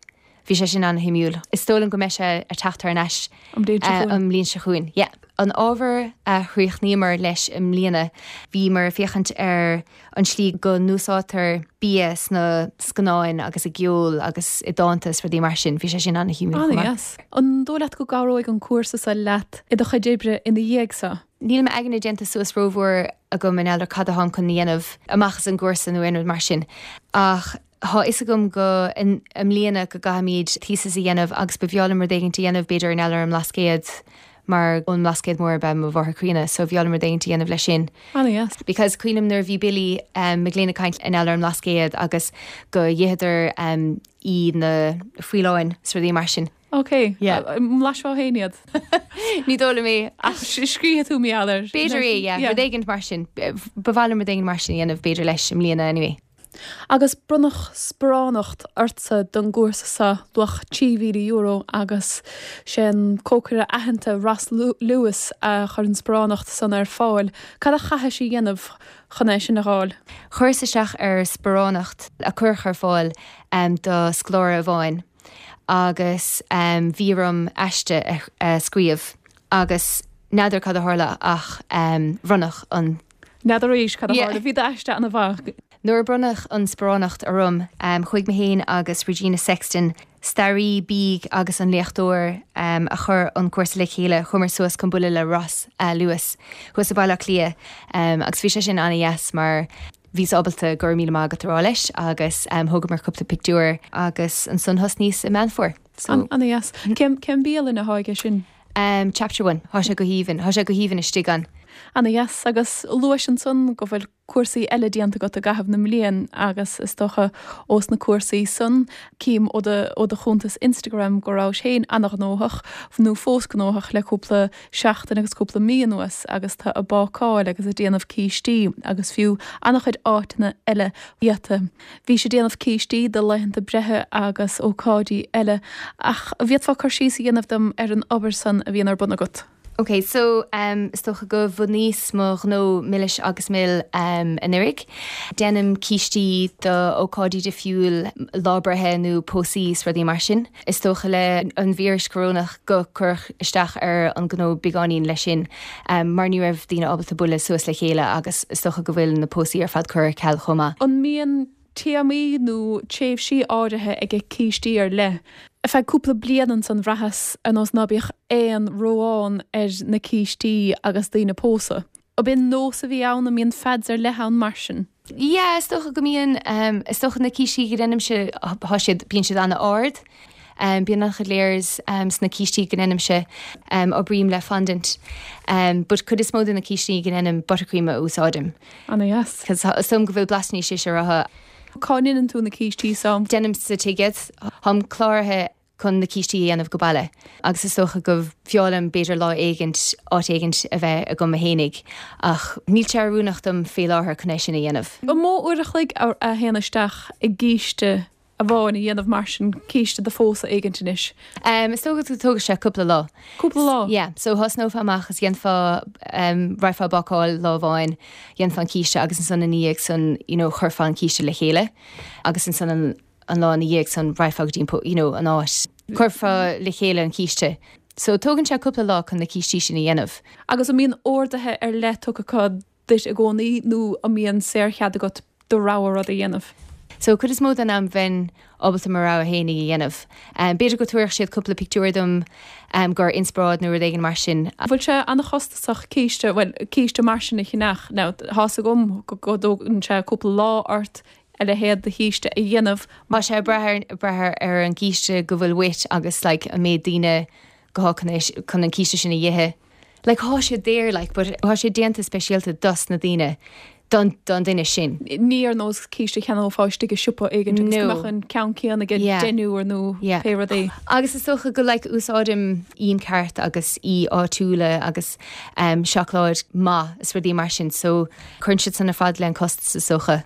[SPEAKER 5] Bhí sé sin an-shuimiúil. Is dóigh liom go mbeidh sé ag teacht thar n-ais
[SPEAKER 6] An bhliain seo chugainn.
[SPEAKER 5] an bhliain seo chugainn. Yeah. An ábhar a chríochnaíomar leis i mbliana, bhíomar ag féachaint ar an slí go n-úsáidtear bia sna scannáin agus i gceol agus i dánta is rudaí mar sin, bhí sé sin an-shuimiúil. chomh maith.
[SPEAKER 6] An-dheas. An dóigh leat go gcabhróidh an cúrsa seo leat i do chuid oibre ina dhiaidh seo?
[SPEAKER 5] Níl m'aigne déanta suas rómhór agam in ear cad atá chun dhéanamh amach as an gcúrsa nó aon rud mar sin. Ach tá fhios agam go in i mbliana go gcaithfimid thesis a dhéanamh agus ba bhreá liom rud éigin a dhéanamh b'fhéidir in ar an mBlascaod mar ón mBlascaod Mór ab ea mo mháthair chríonna, so bhreá liom rud éigin a dhéanamh leis sin.
[SPEAKER 6] An-dheas.
[SPEAKER 5] Because cuimhním nuair a bhí Billy um, McGlynn ag caint in ar an mBlascaod agus go n-itheadar um, í na faoileáin is rudaí mar sin.
[SPEAKER 6] Ok,
[SPEAKER 5] Yeah.
[SPEAKER 6] Bhlaisfeá féin iad.
[SPEAKER 5] Ní dóigh liom é
[SPEAKER 6] Ach scríobh tú mí ealar.
[SPEAKER 5] B'fhéidir é, yeah, rud éigin mar sin. Ba mhaith liom rud éigin mar sin a dhéanamh b'fhéidir leis i mbliana anyway.
[SPEAKER 6] Agus bronnadh sparánacht ortsa don gcúrsa seo luach trí mhíle euro agus sin cócaire aitheanta Ross Lewis a chuir an sparánacht san ar fáil. Cad a chaithfidh sí dhéanamh chun é sin a fháil?
[SPEAKER 5] Chuireas isteach ar sparánacht a chur ar fáil um, do scoláire amháin agus um, bhí orm aiste a, a scríobh agus n'fheadar cad a tharla ach um, bronnadh an
[SPEAKER 6] N'fheadar arís cad a
[SPEAKER 5] Yeah.
[SPEAKER 6] tharla bhí d'aiste an-mhaith.
[SPEAKER 5] Nuair a bronnadh an sparánacht orm um, chuaigh mé féin agus Regina Sexton, staraí bídh agus an léachtóir um, a chuir an cúrsa le chéile chuamar suas chun bualadh le Ross uh, Lewis, thuas i Baile Átha Cliath um, agus bhí sé sin an-dheas mar bhíos ábalta go raibh míle maith agat a rá leis agus um, thógamar cúpla pictiúr agus ansan thosnaíos i Meán Fómhair. So,
[SPEAKER 6] An-dheas. Cén cén bialann atá aige sin?
[SPEAKER 5] um, chapter one, Tá sé go haoibhinn, tá sé go haoibhinn istigh ann.
[SPEAKER 6] An-dheas agus luais ansan go bhfuil cúrsaí eile déanta agat i gcaitheamh na mblian agus is dócha ós na cúrsaí san cím ó do ó do chuntas Instagram go raibh féin an-ghnóthach nó fós gnóthach le cúpla seachtain agus cúpla mí anuas agus tá ag bácáil agus ag déanamh cístí agus fiú an-chuid áiteanna eile iata. Bhí sé déanamh cístí do laethanta breithe agus ócáidí eile ach bhféadfá cur síos a dhéanamh dom ar an obair san a bhíonn ar bun agat.
[SPEAKER 5] Ok, so um, is dócha go bhunaíos mo ghnó Milis agus Mil um, anuraidh. Déanaim cístí do ócáidí difriúil lá breithe nó pósaí is rudaí mar sin. Is dócha le an víreas corónach go cuireadh isteach ar an gnó beagáinín leis sin, um, mar ní raibh daoine ábalta bualadh suas le chéile agus is dócha go bhfuil na pósaí ar fad curtha ar ceal chomh maith.
[SPEAKER 6] An mbíonn téamaí nó tréimhsí áirithe ag cístí ar leith. Ar feadh cúpla bliain ansan bhraitheas ar nós ná bíodh aon rogha ar na cístí agus daoine pósadh. Ab in nós a bhí ann an mbíonn fads ar leith ann mar sin.
[SPEAKER 5] Ja, is dócha go mbíonn um, is dócha na cístí go ndéanaimse tá siad bíonn siad an-ard. Um, bíonn an-chuid layers um, sna cístí go ndéanaimse um, oibrím le fondant. Um, but cuid is mó de na cístí go ndéanaim buttercream a úsáidim.
[SPEAKER 6] An-dheas.
[SPEAKER 5] Cos som go bhfuil blas níos sé rotha
[SPEAKER 6] Cá ndéanann tú na cístí sam
[SPEAKER 5] Déanaim sa tigh iad táim cláraithe chun na cístí a dhéanamh go baile. Agus is dócha go mb'fhearr liom b'fhéidir lá éigin áit éigin a bheith agam féinig ach níl sé oiriúnach dom fé láthair chun é sin a dhéanamh.
[SPEAKER 6] An mó uair a chloig a a théann isteach i gcíste amháin a dhéanamh mar sin císte do phósadh éigin anois.
[SPEAKER 5] Um, is dócha go dtógann sé cúpla lá.
[SPEAKER 6] Cúpla lá.
[SPEAKER 5] Yeah, so thosnófá amach is dhéanfá um, raghfá ag bácáil lá amháin, dhéanfá an císte agus ansan ina dhiaidh san you know, chuirfeá an císte le chéile agus ansan an, an lá ina dhiaidh san raghfá go dtí you know, an áit. Chuirfeá le chéile an císte. So tógann sé cúpla lá chun na cístí sin a dhéanamh.
[SPEAKER 6] Agus an mbíonn orduithe ar leith tugtha acu duit i gcónaí nó an mbíonn saorchead agat do rogha rud a dhéanamh.
[SPEAKER 5] So cuid is mó den am bheinn ábalta mo rogha féin a dhéanamh. Um, B'fhéidir go dtabharfadh siad cúpla pictiúr dom um, gur inspioráid nó rud éigin mar sin.
[SPEAKER 6] Bhfuil sé an-chostasach císte well, císte mar sin a cheannach ná tá a fhios agam go go dtógann sé cúpla lá ort a leithéid de chíste a dhéanamh
[SPEAKER 5] Tá sé breathair breathair ar an gcíste go bhfuil uait agus like, an méid daoine go chun chun an císte sin a ithe. Like, tá sé daor like, but tá sé déanta speisialta dos na daoine. don don duine sin.
[SPEAKER 6] Ní ar nós císte a cheannófá istigh i siopa éigin agus go mbeadh an ceann céanna ag deichniúr nó pé rud é.
[SPEAKER 5] Agus is dócha go like úsáidim im ceart agus im áitiúla agus um, seacláid maith is rudaí mar sin, so cuireann siad san ar fad le an costas is dócha.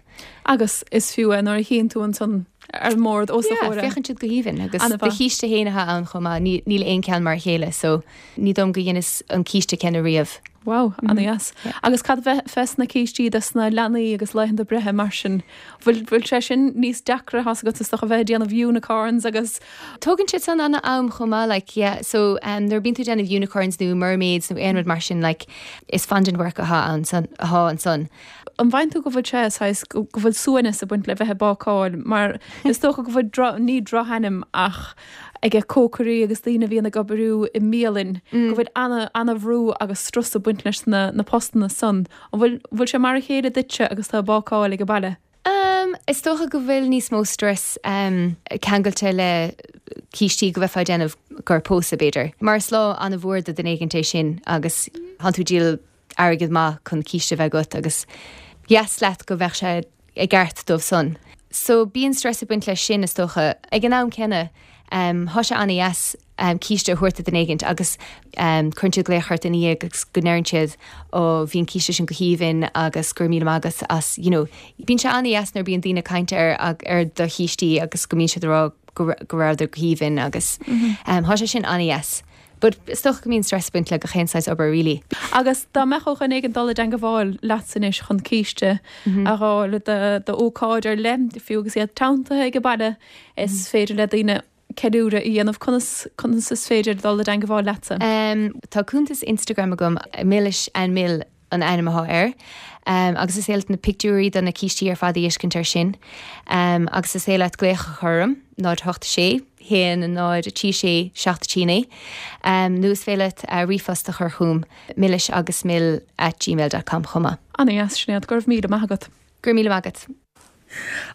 [SPEAKER 6] Agus is fiú é nuair a chíonn tú ansan ar an mbord os do chomhair.
[SPEAKER 5] Féachann siad go haoibhinn agus do chíste féin atá ann chomh maith, níl aon cheann mar a chéile so ní dóigh liom go dheineas an císte céanna riamh.
[SPEAKER 6] Wow, ana-dheas. Agus cad fés na cístí dos na leanaí agus laethanta breithe mar sin? Bhfuil bhfuil sé sin níos deacra tá's agat is dócha a bheith ag déanamh unicorns agus.
[SPEAKER 5] Tógann siad san ana am chomh maith like yeah so um, nuair a bíonn tú ag déanamh unicorns nó mermaids nó aon rud mar sin like is fondant work atá ann san atá ansan.
[SPEAKER 6] An bhfaigheann tú go bhfuil sé saghas go bhfuil suaimhneas ag baint le bheith ag bácáil mar is dócha go bhfuil dro ní drochainm ach ag cócairí agus daoine a bhíonn ag obair i mbialann go bhfuil ana ana bhrú agus strus ag baint leis na na postanna san. An bhfuil bhfuil sé mar a chéile duitse agus tú ag bácáil ag an baile?
[SPEAKER 5] Um, is dócha go bhfuil níos mó stress um, ceangailte le cístí go bheifeá ag déanamh gur pósadh b'fhéidir. Mar is lá ana mhór do dhuine éigin é sin agus tánn tú ag díol airgead maith chun císte bheith agat agus dheas leat go bheadh sé i gceart dóibh san. So bíonn stress ag baint leis sin is dócha. Ag an am céanna um, thá sé ana-dheas um, císte a thabhairt do dhuine éigint agus um, cuireann siad glaoch ort ina dhiaidh agus go ndeireann siad ó bhí an císte sin go haoibhinn agus go raibh míle maith agat as you know, bíonn sé ana-dheas nuair bíonn daoine ag caint ar, ar do chístí agus go mbíonn siad ag rá go go rabhadar go haoibhinn agus mm -hmm. um, thá sé sin ana-dheas. But is dócha go mbíonn stress ag baint le gach aon saghas obair really.
[SPEAKER 6] Agus dá mbeadh ó dhuine éigin dul i dteangmháil leatsa anois chun císte a fháil d'ócáid ar leith, fiú agus iad teanntaithe ag an baile, is féidir le daoine ceiliúradh a dhéanamh. Conas conas is féidir dul i dteangmháil leatsa?
[SPEAKER 5] Um, tá cuntas Instagram agam Milis and Mill an ainm atá air. Um, agus is féidir leat na pictiúirí do na cístí ar fad a fheiscint air sin. Um, agus is féidir leat glaoch a chur orm, náid hocht sé, haon náid trí sé seacht trí naoi. Um, nó is féidir leat uh, ríomhphost a chur chugam milis agus mill at gmail dot com chomh maith.
[SPEAKER 6] Ana-dheas, Sinéad, go raibh míle maith agat.
[SPEAKER 5] Go raibh míle maith agat.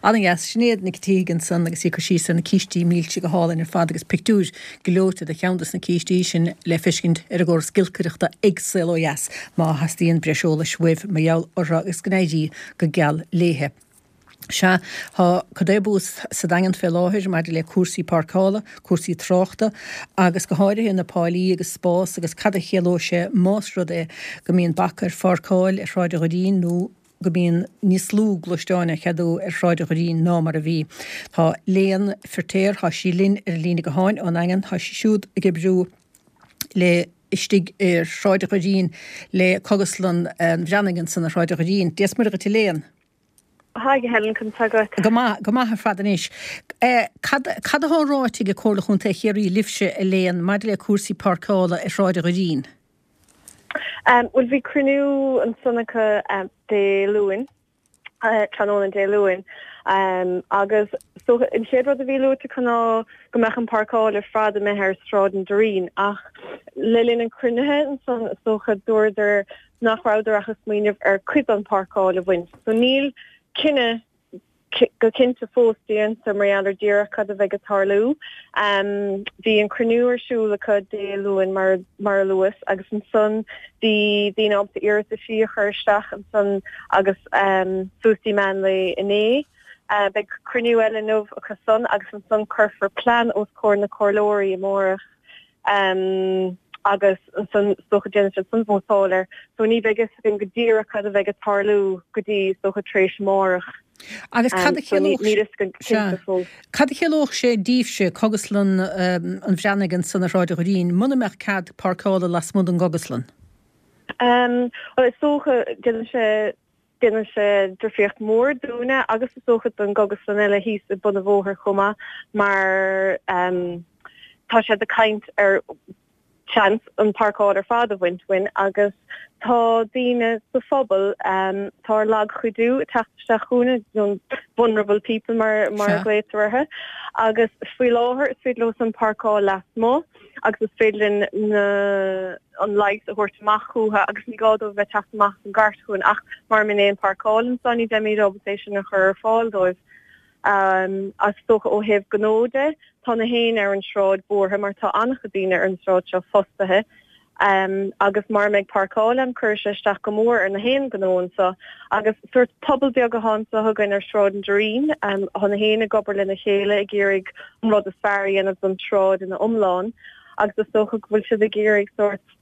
[SPEAKER 1] Ana-dheas, Sinéad Nic Tíg ansan agus í ag cur síos ar na cístí milse go hálainn ar fad agus pictiúr gleoite de cheann des na cístí sin le feiscint ar an gcóras giolcaireachta ag Saol Ó Dheas má theastaíonn breis eolais uaibh mar gheall orthu agus go n-éirí go geal léithe. Sea, tá codéabús sa Daingean fé láthair maidir le cúrsaí páirceála, cúrsaí tráchta agus go háirithe na páilí agus spás agus cad a chiallódh sé más rud é go mbíonn bac ar pháirceáil ar Shráid an Dhoirín nó go mbíonn níos lú gluaisteáin á cheadú ar Shráid an Dhoirín ná mar a bhí. Tá Léan Firtéar, tá sí linn ar an líne gutháin ón nDaingean, tá sí siúd ag oibriú le istigh ar Shráid an Dhoirín le Cógaslann an Bhreathnaigh ansan ar Shráid an Dhoirín. Dia is Muire dhuit a Léan.
[SPEAKER 7] Haigh a Helen, conas tá agat?
[SPEAKER 1] Go maith, go maith ar fad anois. Cad, cad atá ráite ag Comhairle Chontae Chiarraí libhse a Léan maidir le cúrsaí páirceála ar Shráid an Dhoirín?
[SPEAKER 7] Bhuel, bhí cruinniú ansan acu Dé Luain, tráthnóna Dé Luain, agus is dócha an chéad rud a bhí luaite acu ná go mbeadh an páirceáil ar fad imithe ar Sráid an Doirín ach le linn an chruinnithe ansan is dócha dúradar nach rabhadar ach ag smaoineamh ar cuid den pháirceáil a bhaint. So níl cinneadh go cinnte fós déanta mar gheall ar díreach cad a bheidh ag tarlú. Bhí an cruinniú ar siúl acu Dé Luain mar mar a luas agus ansan bhí daoine ábalta iarrataisí a chur isteach ansan agus suas dtí meán lae inné. Beidh cruinniú eile inniu acu san agus ansan cuirfear plean os comhair na comhairleoirí amárach. Agus ansan is dócha déanfaidh siad san vótáil air. So ní bheidh fhios againn go díreach cad a bheidh ag tarlú go dtí is dócha tar éis amárach.
[SPEAKER 1] Agus cad a
[SPEAKER 7] So ní
[SPEAKER 1] chiallódh
[SPEAKER 7] níl fhios againn
[SPEAKER 1] Sea.
[SPEAKER 7] cinnte fós.
[SPEAKER 1] Cad a chiallódh sé daoibhse, Cógaslann an Bhreathnaigh ansan ar Shráid an Dhoirín, muna mbeadh cead páirceála lasmuigh den gcógaslann?
[SPEAKER 7] Bhuel is dócha déanann sé Déanann sé difríocht mhór dúinne agus is dócha don gcógaslann eile thíos i bun an bhóthair chomh maith mar tá siad ag caint ar seans an páirceáil ar fad a bhaint uainn agus tá daoine sa phobal atá ar lagchuidiú ag teacht isteach chugainn, nó vulnerable people mar mar a ghlaotar orthu, agus faoi láthair is féidir leo san páirceáil lasmuigh. agus is féidir linn na an leigheas a thabhairt amach chucu agus ní gá dóibh bheith teacht amach an gcairt chugainn ach mura mbíonn aon páirceáil anso ní bheimid ábalta é sin a chur ar fáil dóibh. Is dócha ó thaobh gnó de, tá na héinne ar an sráid buartha mar tá an-chuid daoine ar an sráid seo fostaithe Um, agus mura mbeidh páirceáil ann cuirfidh sé isteach go mór ar na haon ghnó anseo agus sórt pobal beag atá anseo againn ar Sráid an Doirín um, tá na haon ag obair lena chéile ag iarraidh an rud is fearr a dhéanamh don tsráid ina iomlán agus is dócha go bhfuil siad ag iarraidh sórt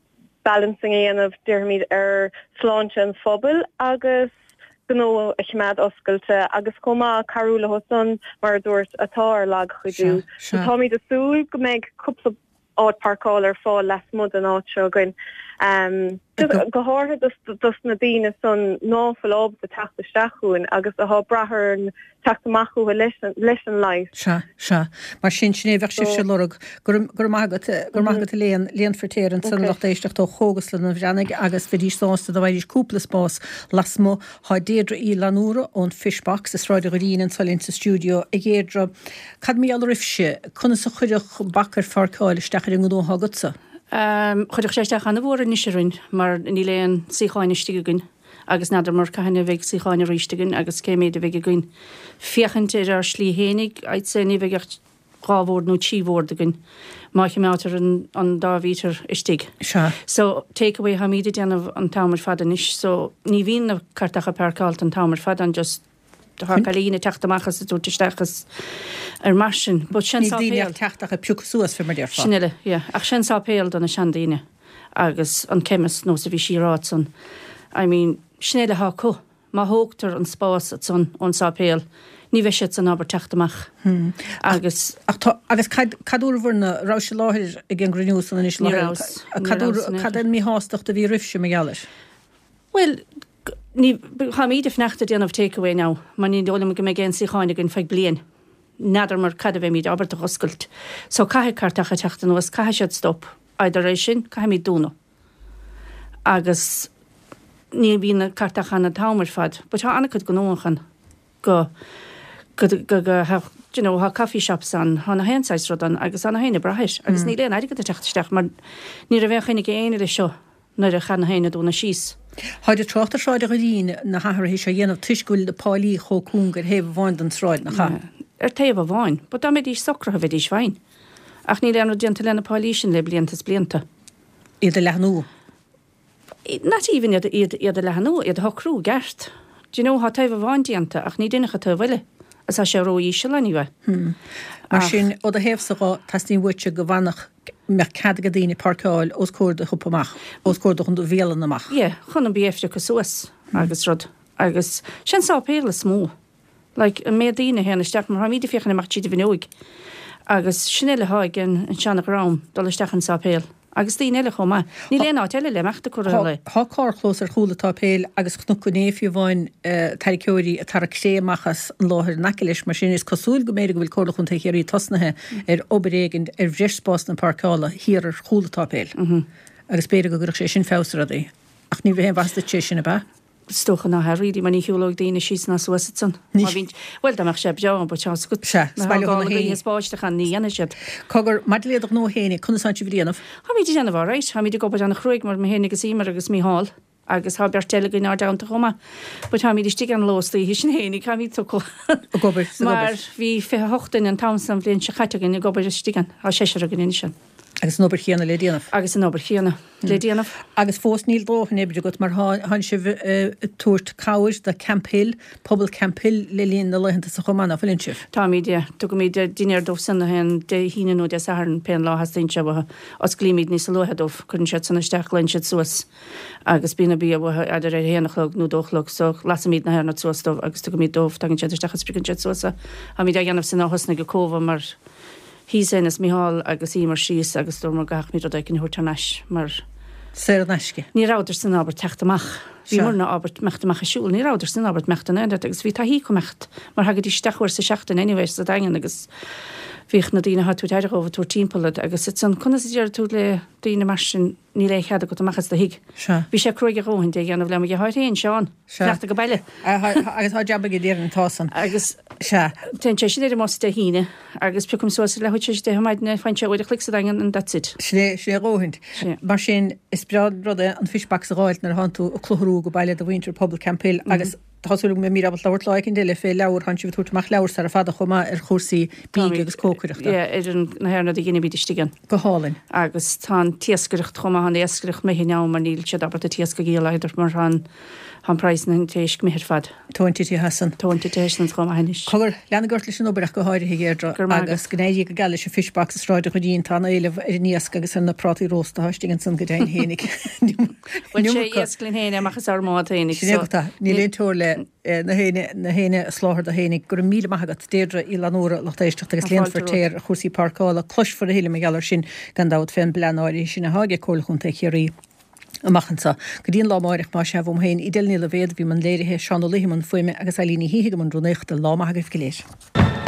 [SPEAKER 7] balancing a dhéanamh déarfaimid ar sláinte an phobail agus gnó a choimeád oscailte agus chomh maith cabhrú leo san mar a dúirt atá ar lagchuidiú. So táimid ag súil go mbeidh cúpla áit páirceála ar fáil lasmuigh den áit seo againn. Um, go háirithe dos na daoine san ná fuil ábalta teacht isteach chugainn agus atá ag brath ar an teacht amach chucu leis an, leis an leigheas.
[SPEAKER 1] Sea, sea. Mar sin sin é bheadh sibhse ag lorg. Go raibh go raibh maith agat, go raibh maith agat a Léan, Léan Feirtéar ansan lucht éisteachta ó Chógaslann an Bhreathnaigh agus bheidís sásta dá bhfaighidís cúpla spás lasmuigh. Tá Deirdre Uí Fhlannúra ón Fishbox i Sráid an Dhoirín anso linn sa stiúideo. A Dheirdre, cad mar gheall oraibhse, conas a chuirfeadh bac ar pháirceáil isteach ar an ngnó atá agatsa?
[SPEAKER 8] Chuirfeadh sé isteach an-mhór anois orainn mar níl aon suíocháin istigh againn agus n'fheadar mar cathain a bheidh suíocháin arís againn agus cé méid a bheidh againn. Féachaint ar ár slí fhéinig, I'd say ní bheidh ach dhá bhord nó trí bhord againn má choimeádtar an, an dá mhítear istigh.
[SPEAKER 1] Sea.
[SPEAKER 8] So take away tháimid ag déanamh an t-am ar fad anois so ní bhíonn na cartacha páirceáilte an t-am ar fad an just Tá cailín ag teacht amach is ag tabhairt isteach is ar mar sin. But sin
[SPEAKER 1] Níl daoine
[SPEAKER 8] sáipéal.
[SPEAKER 1] ag teacht ach ag piocadh suas fé mar déarfá.
[SPEAKER 8] Sin uile, yeah. Ach sin sáipéal do na seandaoine agus an chemist nós a bhí sí ag rá ansan. I mean, sin uile atá acu. Má thógtar an spás ansan ón sáipéal, ní bheidh siad san ábalta teacht amach.
[SPEAKER 1] Hmm.
[SPEAKER 8] Agus
[SPEAKER 1] Ach tá, agus cad, cad dúradh na, raibh sé i láthair ag an gcruinniú san anois
[SPEAKER 8] Ní
[SPEAKER 1] láthair?
[SPEAKER 8] rabhas. Ní
[SPEAKER 1] Cad
[SPEAKER 8] rabhas in
[SPEAKER 1] cad é an míshástacht a bhí roimhse mar gheall air?
[SPEAKER 8] Well, ní tháimid ag fanacht ag déanamh takeaway now, mar ní dóigh liom go mbeidh aon suíocháin againn feadh bliain. N'fheadar mar cad a bheimid ábalta a oscailt. So caithfidh cartacha teacht anuas, caithfidh siad stop. Either é sin, caithfimid dúnadh. Agus ní bhíonn na cartacha ann an t-am ar fad, but tá an-chuid gnó ann go go go go ha, you know, tá coffee shops ann, tá na haon saghas rud ann agus tá na haon ag brath air. Agus níl aon airgead ag teacht isteach mar ní raibh aon choinne ag éinne leis seo nuair a chaith na haon dúnadh síos.
[SPEAKER 1] Táid ag trácht ar Shráid an Dhoirín na hathruithe seo a dhéanamh toisc go bhfuil na páilí chomh cúng ar thaobh amháin den tsráid, nach ea?
[SPEAKER 8] Ar taobh amháin, but dá mbeidís socraithe bheidís fine. Ach níl aon rud déanta lena páilí sin le blianta is blianta.
[SPEAKER 1] Iad a leathnú.
[SPEAKER 8] Not even iad iad iad a leathnú, iad a shocrú gceart. Do you know, tá taobh amháin déanta ach ní deineadh an taobh eile. Is tá sé ró-íseal anyway.
[SPEAKER 1] Hmm. Mar sin, ó do thaobhsa dhe, teastaíonn uaitse go bhfanfadh, mbeadh cead ag daoine páirceáil os comhair do shiopa amach, os comhair do do bhialann amach.
[SPEAKER 8] Yeah, chun an bia a phiocadh suas agus rud. Agus sin sáipéal is mó. Like, an méid daoine a théann isteach, mar tháimid ag féachaint amach tríd an bhfuinneoig. Agus sin uile atá ag an an seana-dhream dul isteach an sáipéal. Agus daoine eile chomh maith. Níl aon áit eile le imeacht a cur eile.
[SPEAKER 1] Tá carrchlós ar chúl an tsáipéil agus chonac inné fiú amháin tarraiceoirí ag tarrac cré amach as an láthair in aice leis, mar sin is cosúil go mb'fhéidir go bhfuil Comhairle Chontae Chiarraí tosnaithe ar obair éigin ar bhreis spásanna páirceála thiar ar chúl an tsáipéil. Agus b'fhéidir go gcuirfeadh sé sin feabhas ar rudaí. Ach ní bheidh aon mhaitheas duit sé sin, ab ea?
[SPEAKER 8] Is dócha ná hea really mar ní shiúlóidh daoine síos ná suas ansan.
[SPEAKER 1] Ní.
[SPEAKER 8] Má bhíonn, bhuel dá mbeadh sé breá, but tá a fhios agat.
[SPEAKER 1] Sea,
[SPEAKER 8] Má
[SPEAKER 1] is baile
[SPEAKER 8] thá
[SPEAKER 1] dhona
[SPEAKER 8] gála
[SPEAKER 1] fhéin.
[SPEAKER 8] gaoithe is báisteach ann, ní dhéanfaidh siad.
[SPEAKER 1] Cogar, maidir le do ghnó fhéin, conas tánn sibh ag déanamh?
[SPEAKER 8] Táimid ag déanamh alright, táimid ag obair an-chruaidh mar mé féin agus Emer agus Mícheál. Agus tá beirt eile againn ár dteannta chomh maith. But táimid istigh an ló is oíche sin fhéinig, táimid tugtha.
[SPEAKER 1] Ag obair, ag
[SPEAKER 8] Mar
[SPEAKER 1] obair.
[SPEAKER 8] bhí fiche a hocht duine an t-am san bhliain seo caite againn ag obair istigh ann. Tá seisear againn anois ann.
[SPEAKER 1] Agus an obair chéanna le déanamh.
[SPEAKER 8] Agus an obair chéanna le déanamh.
[SPEAKER 1] Agus fós níl dóthain oibre agat mar thánn sibh ag tabhairt cabhair do Camphill, pobal Camphill le linn na laethanta sa chomh maith, nach bhfuileann sibh?
[SPEAKER 8] Táimid, yeah. Tugaimid dinnéar dóibh san haon Dé hAoine nó Dé Sathairn pén lá a theastaíonn sé uathu. Osclaímid níos luaithe dóibh, cuireann siad san isteach, glaonn siad suas agus bíonn an bia uathu either ar a haon a chlog nó dó a chlog, so lasaimid na hairneáin suas dóibh agus tugaimid dóibh, tagann siad isteach agus piocann siad suas é. Táimid á dhéanamh sin ó thosnaigh an Covid mar shuigh Séamus Mícheál agus Emer síos agus dúramar go gcaithfimid rud éicint a thabhairt thar n-ais mar
[SPEAKER 1] Saor in aisce.
[SPEAKER 8] Ní rabhadar san ábalta teacht amach. Bhí
[SPEAKER 1] Sea.
[SPEAKER 8] muidne ábalta imeacht amach ag siúl, ní rabhadar san ábalta imeacht in aon áit agus bhí taithí acu imeacht mar thagaidís isteach uair sa seachtain anyway sa Daingean agus bhíodh na daoine atá ag tabhairt aire dhóibh ag tabhairt timpeall iad agus it's an conas a déarfaidh tú le daoine mar sin níl aon chead agat amach as do thigh.
[SPEAKER 1] Sea.
[SPEAKER 8] Bhí sé cruaidh a dhóthain é a dhéanamh le mo dheartháir féin, Seán.
[SPEAKER 1] Sea.
[SPEAKER 8] Fanacht go baile.
[SPEAKER 1] Agus tá jab aige déarfainn tá san.
[SPEAKER 8] Agus
[SPEAKER 1] Sea.
[SPEAKER 8] téann sé sin ar an mbus Dé hAoine agus piocaim suas le leathuair tar éis a deich ar maidin é, faigheann sé uair a chloig sa Daingean and that's it.
[SPEAKER 1] Sin é, sin é a dhóthaint.
[SPEAKER 8] Sea.
[SPEAKER 1] Mar sin is breá an rud é an fish box a dh'fháilt nuair a thánn tú ag clutharú go baile do mhuintir pobal Camphill agus Tá súil agam go mbeimid ábalta labhairt lá éicint eile fé leabhar, tánn sibh ag tabhairt amach leabhar sara fada chomh maith ar chúrsaí bídh agus cócaireachta.
[SPEAKER 8] Yeah, ar an, na haon rud a dheinimid istigh ann.
[SPEAKER 1] Go hálainn.
[SPEAKER 8] Agus tá an t-iascaireacht chomh maith, an iascaireacht imithe now mar níl siad ábalta t-iasc a dhíol either mar tá an, tá an praghas na an t-éisc imithe ar fad.
[SPEAKER 1] Tóin titithe as an.
[SPEAKER 8] Tóin titithe as an chomh maith anois.
[SPEAKER 1] Cogar, leanaigí ort leis an obair ach go háirithe, a Dheirdre,
[SPEAKER 8] Go raibh maith
[SPEAKER 1] agus
[SPEAKER 8] agat.
[SPEAKER 1] go n-éirí go geal leis an Fish Box i Sráid an Ghoirín, tá an-éileamh ar an iasc agus ar na prátaí rósta atá istigh ansan go deimhin fhéinig.
[SPEAKER 8] Bhuel sé iasc linn féin amach as ár mbád féinig
[SPEAKER 1] Sin é agat é. Níl aon teora le na héinne na héinne a sholáthar do fhéinig. Go raibh míle maith agat, Deirdre Uí Fhlannúra, lucht éisteachta agus
[SPEAKER 8] Tá fáilte
[SPEAKER 1] líonfar
[SPEAKER 8] romhat.
[SPEAKER 1] téar ar chúrsaí páirceála. Cloisfear a thuilleadh mar gheall air sin gan dabht fén bplean áirithe sin atá ag Comhairle Chontae Chiarraí amach anseo. Go dtí an lá amáireach más ea uaim féin, Edel Ní Loibhéad a bhí i mbun léirithe, Seán Ó Laoithe i mbun fuaime agus Eileen Ní Shíthigh i mbun rúnaíochta. Lá maith agaibh go léir.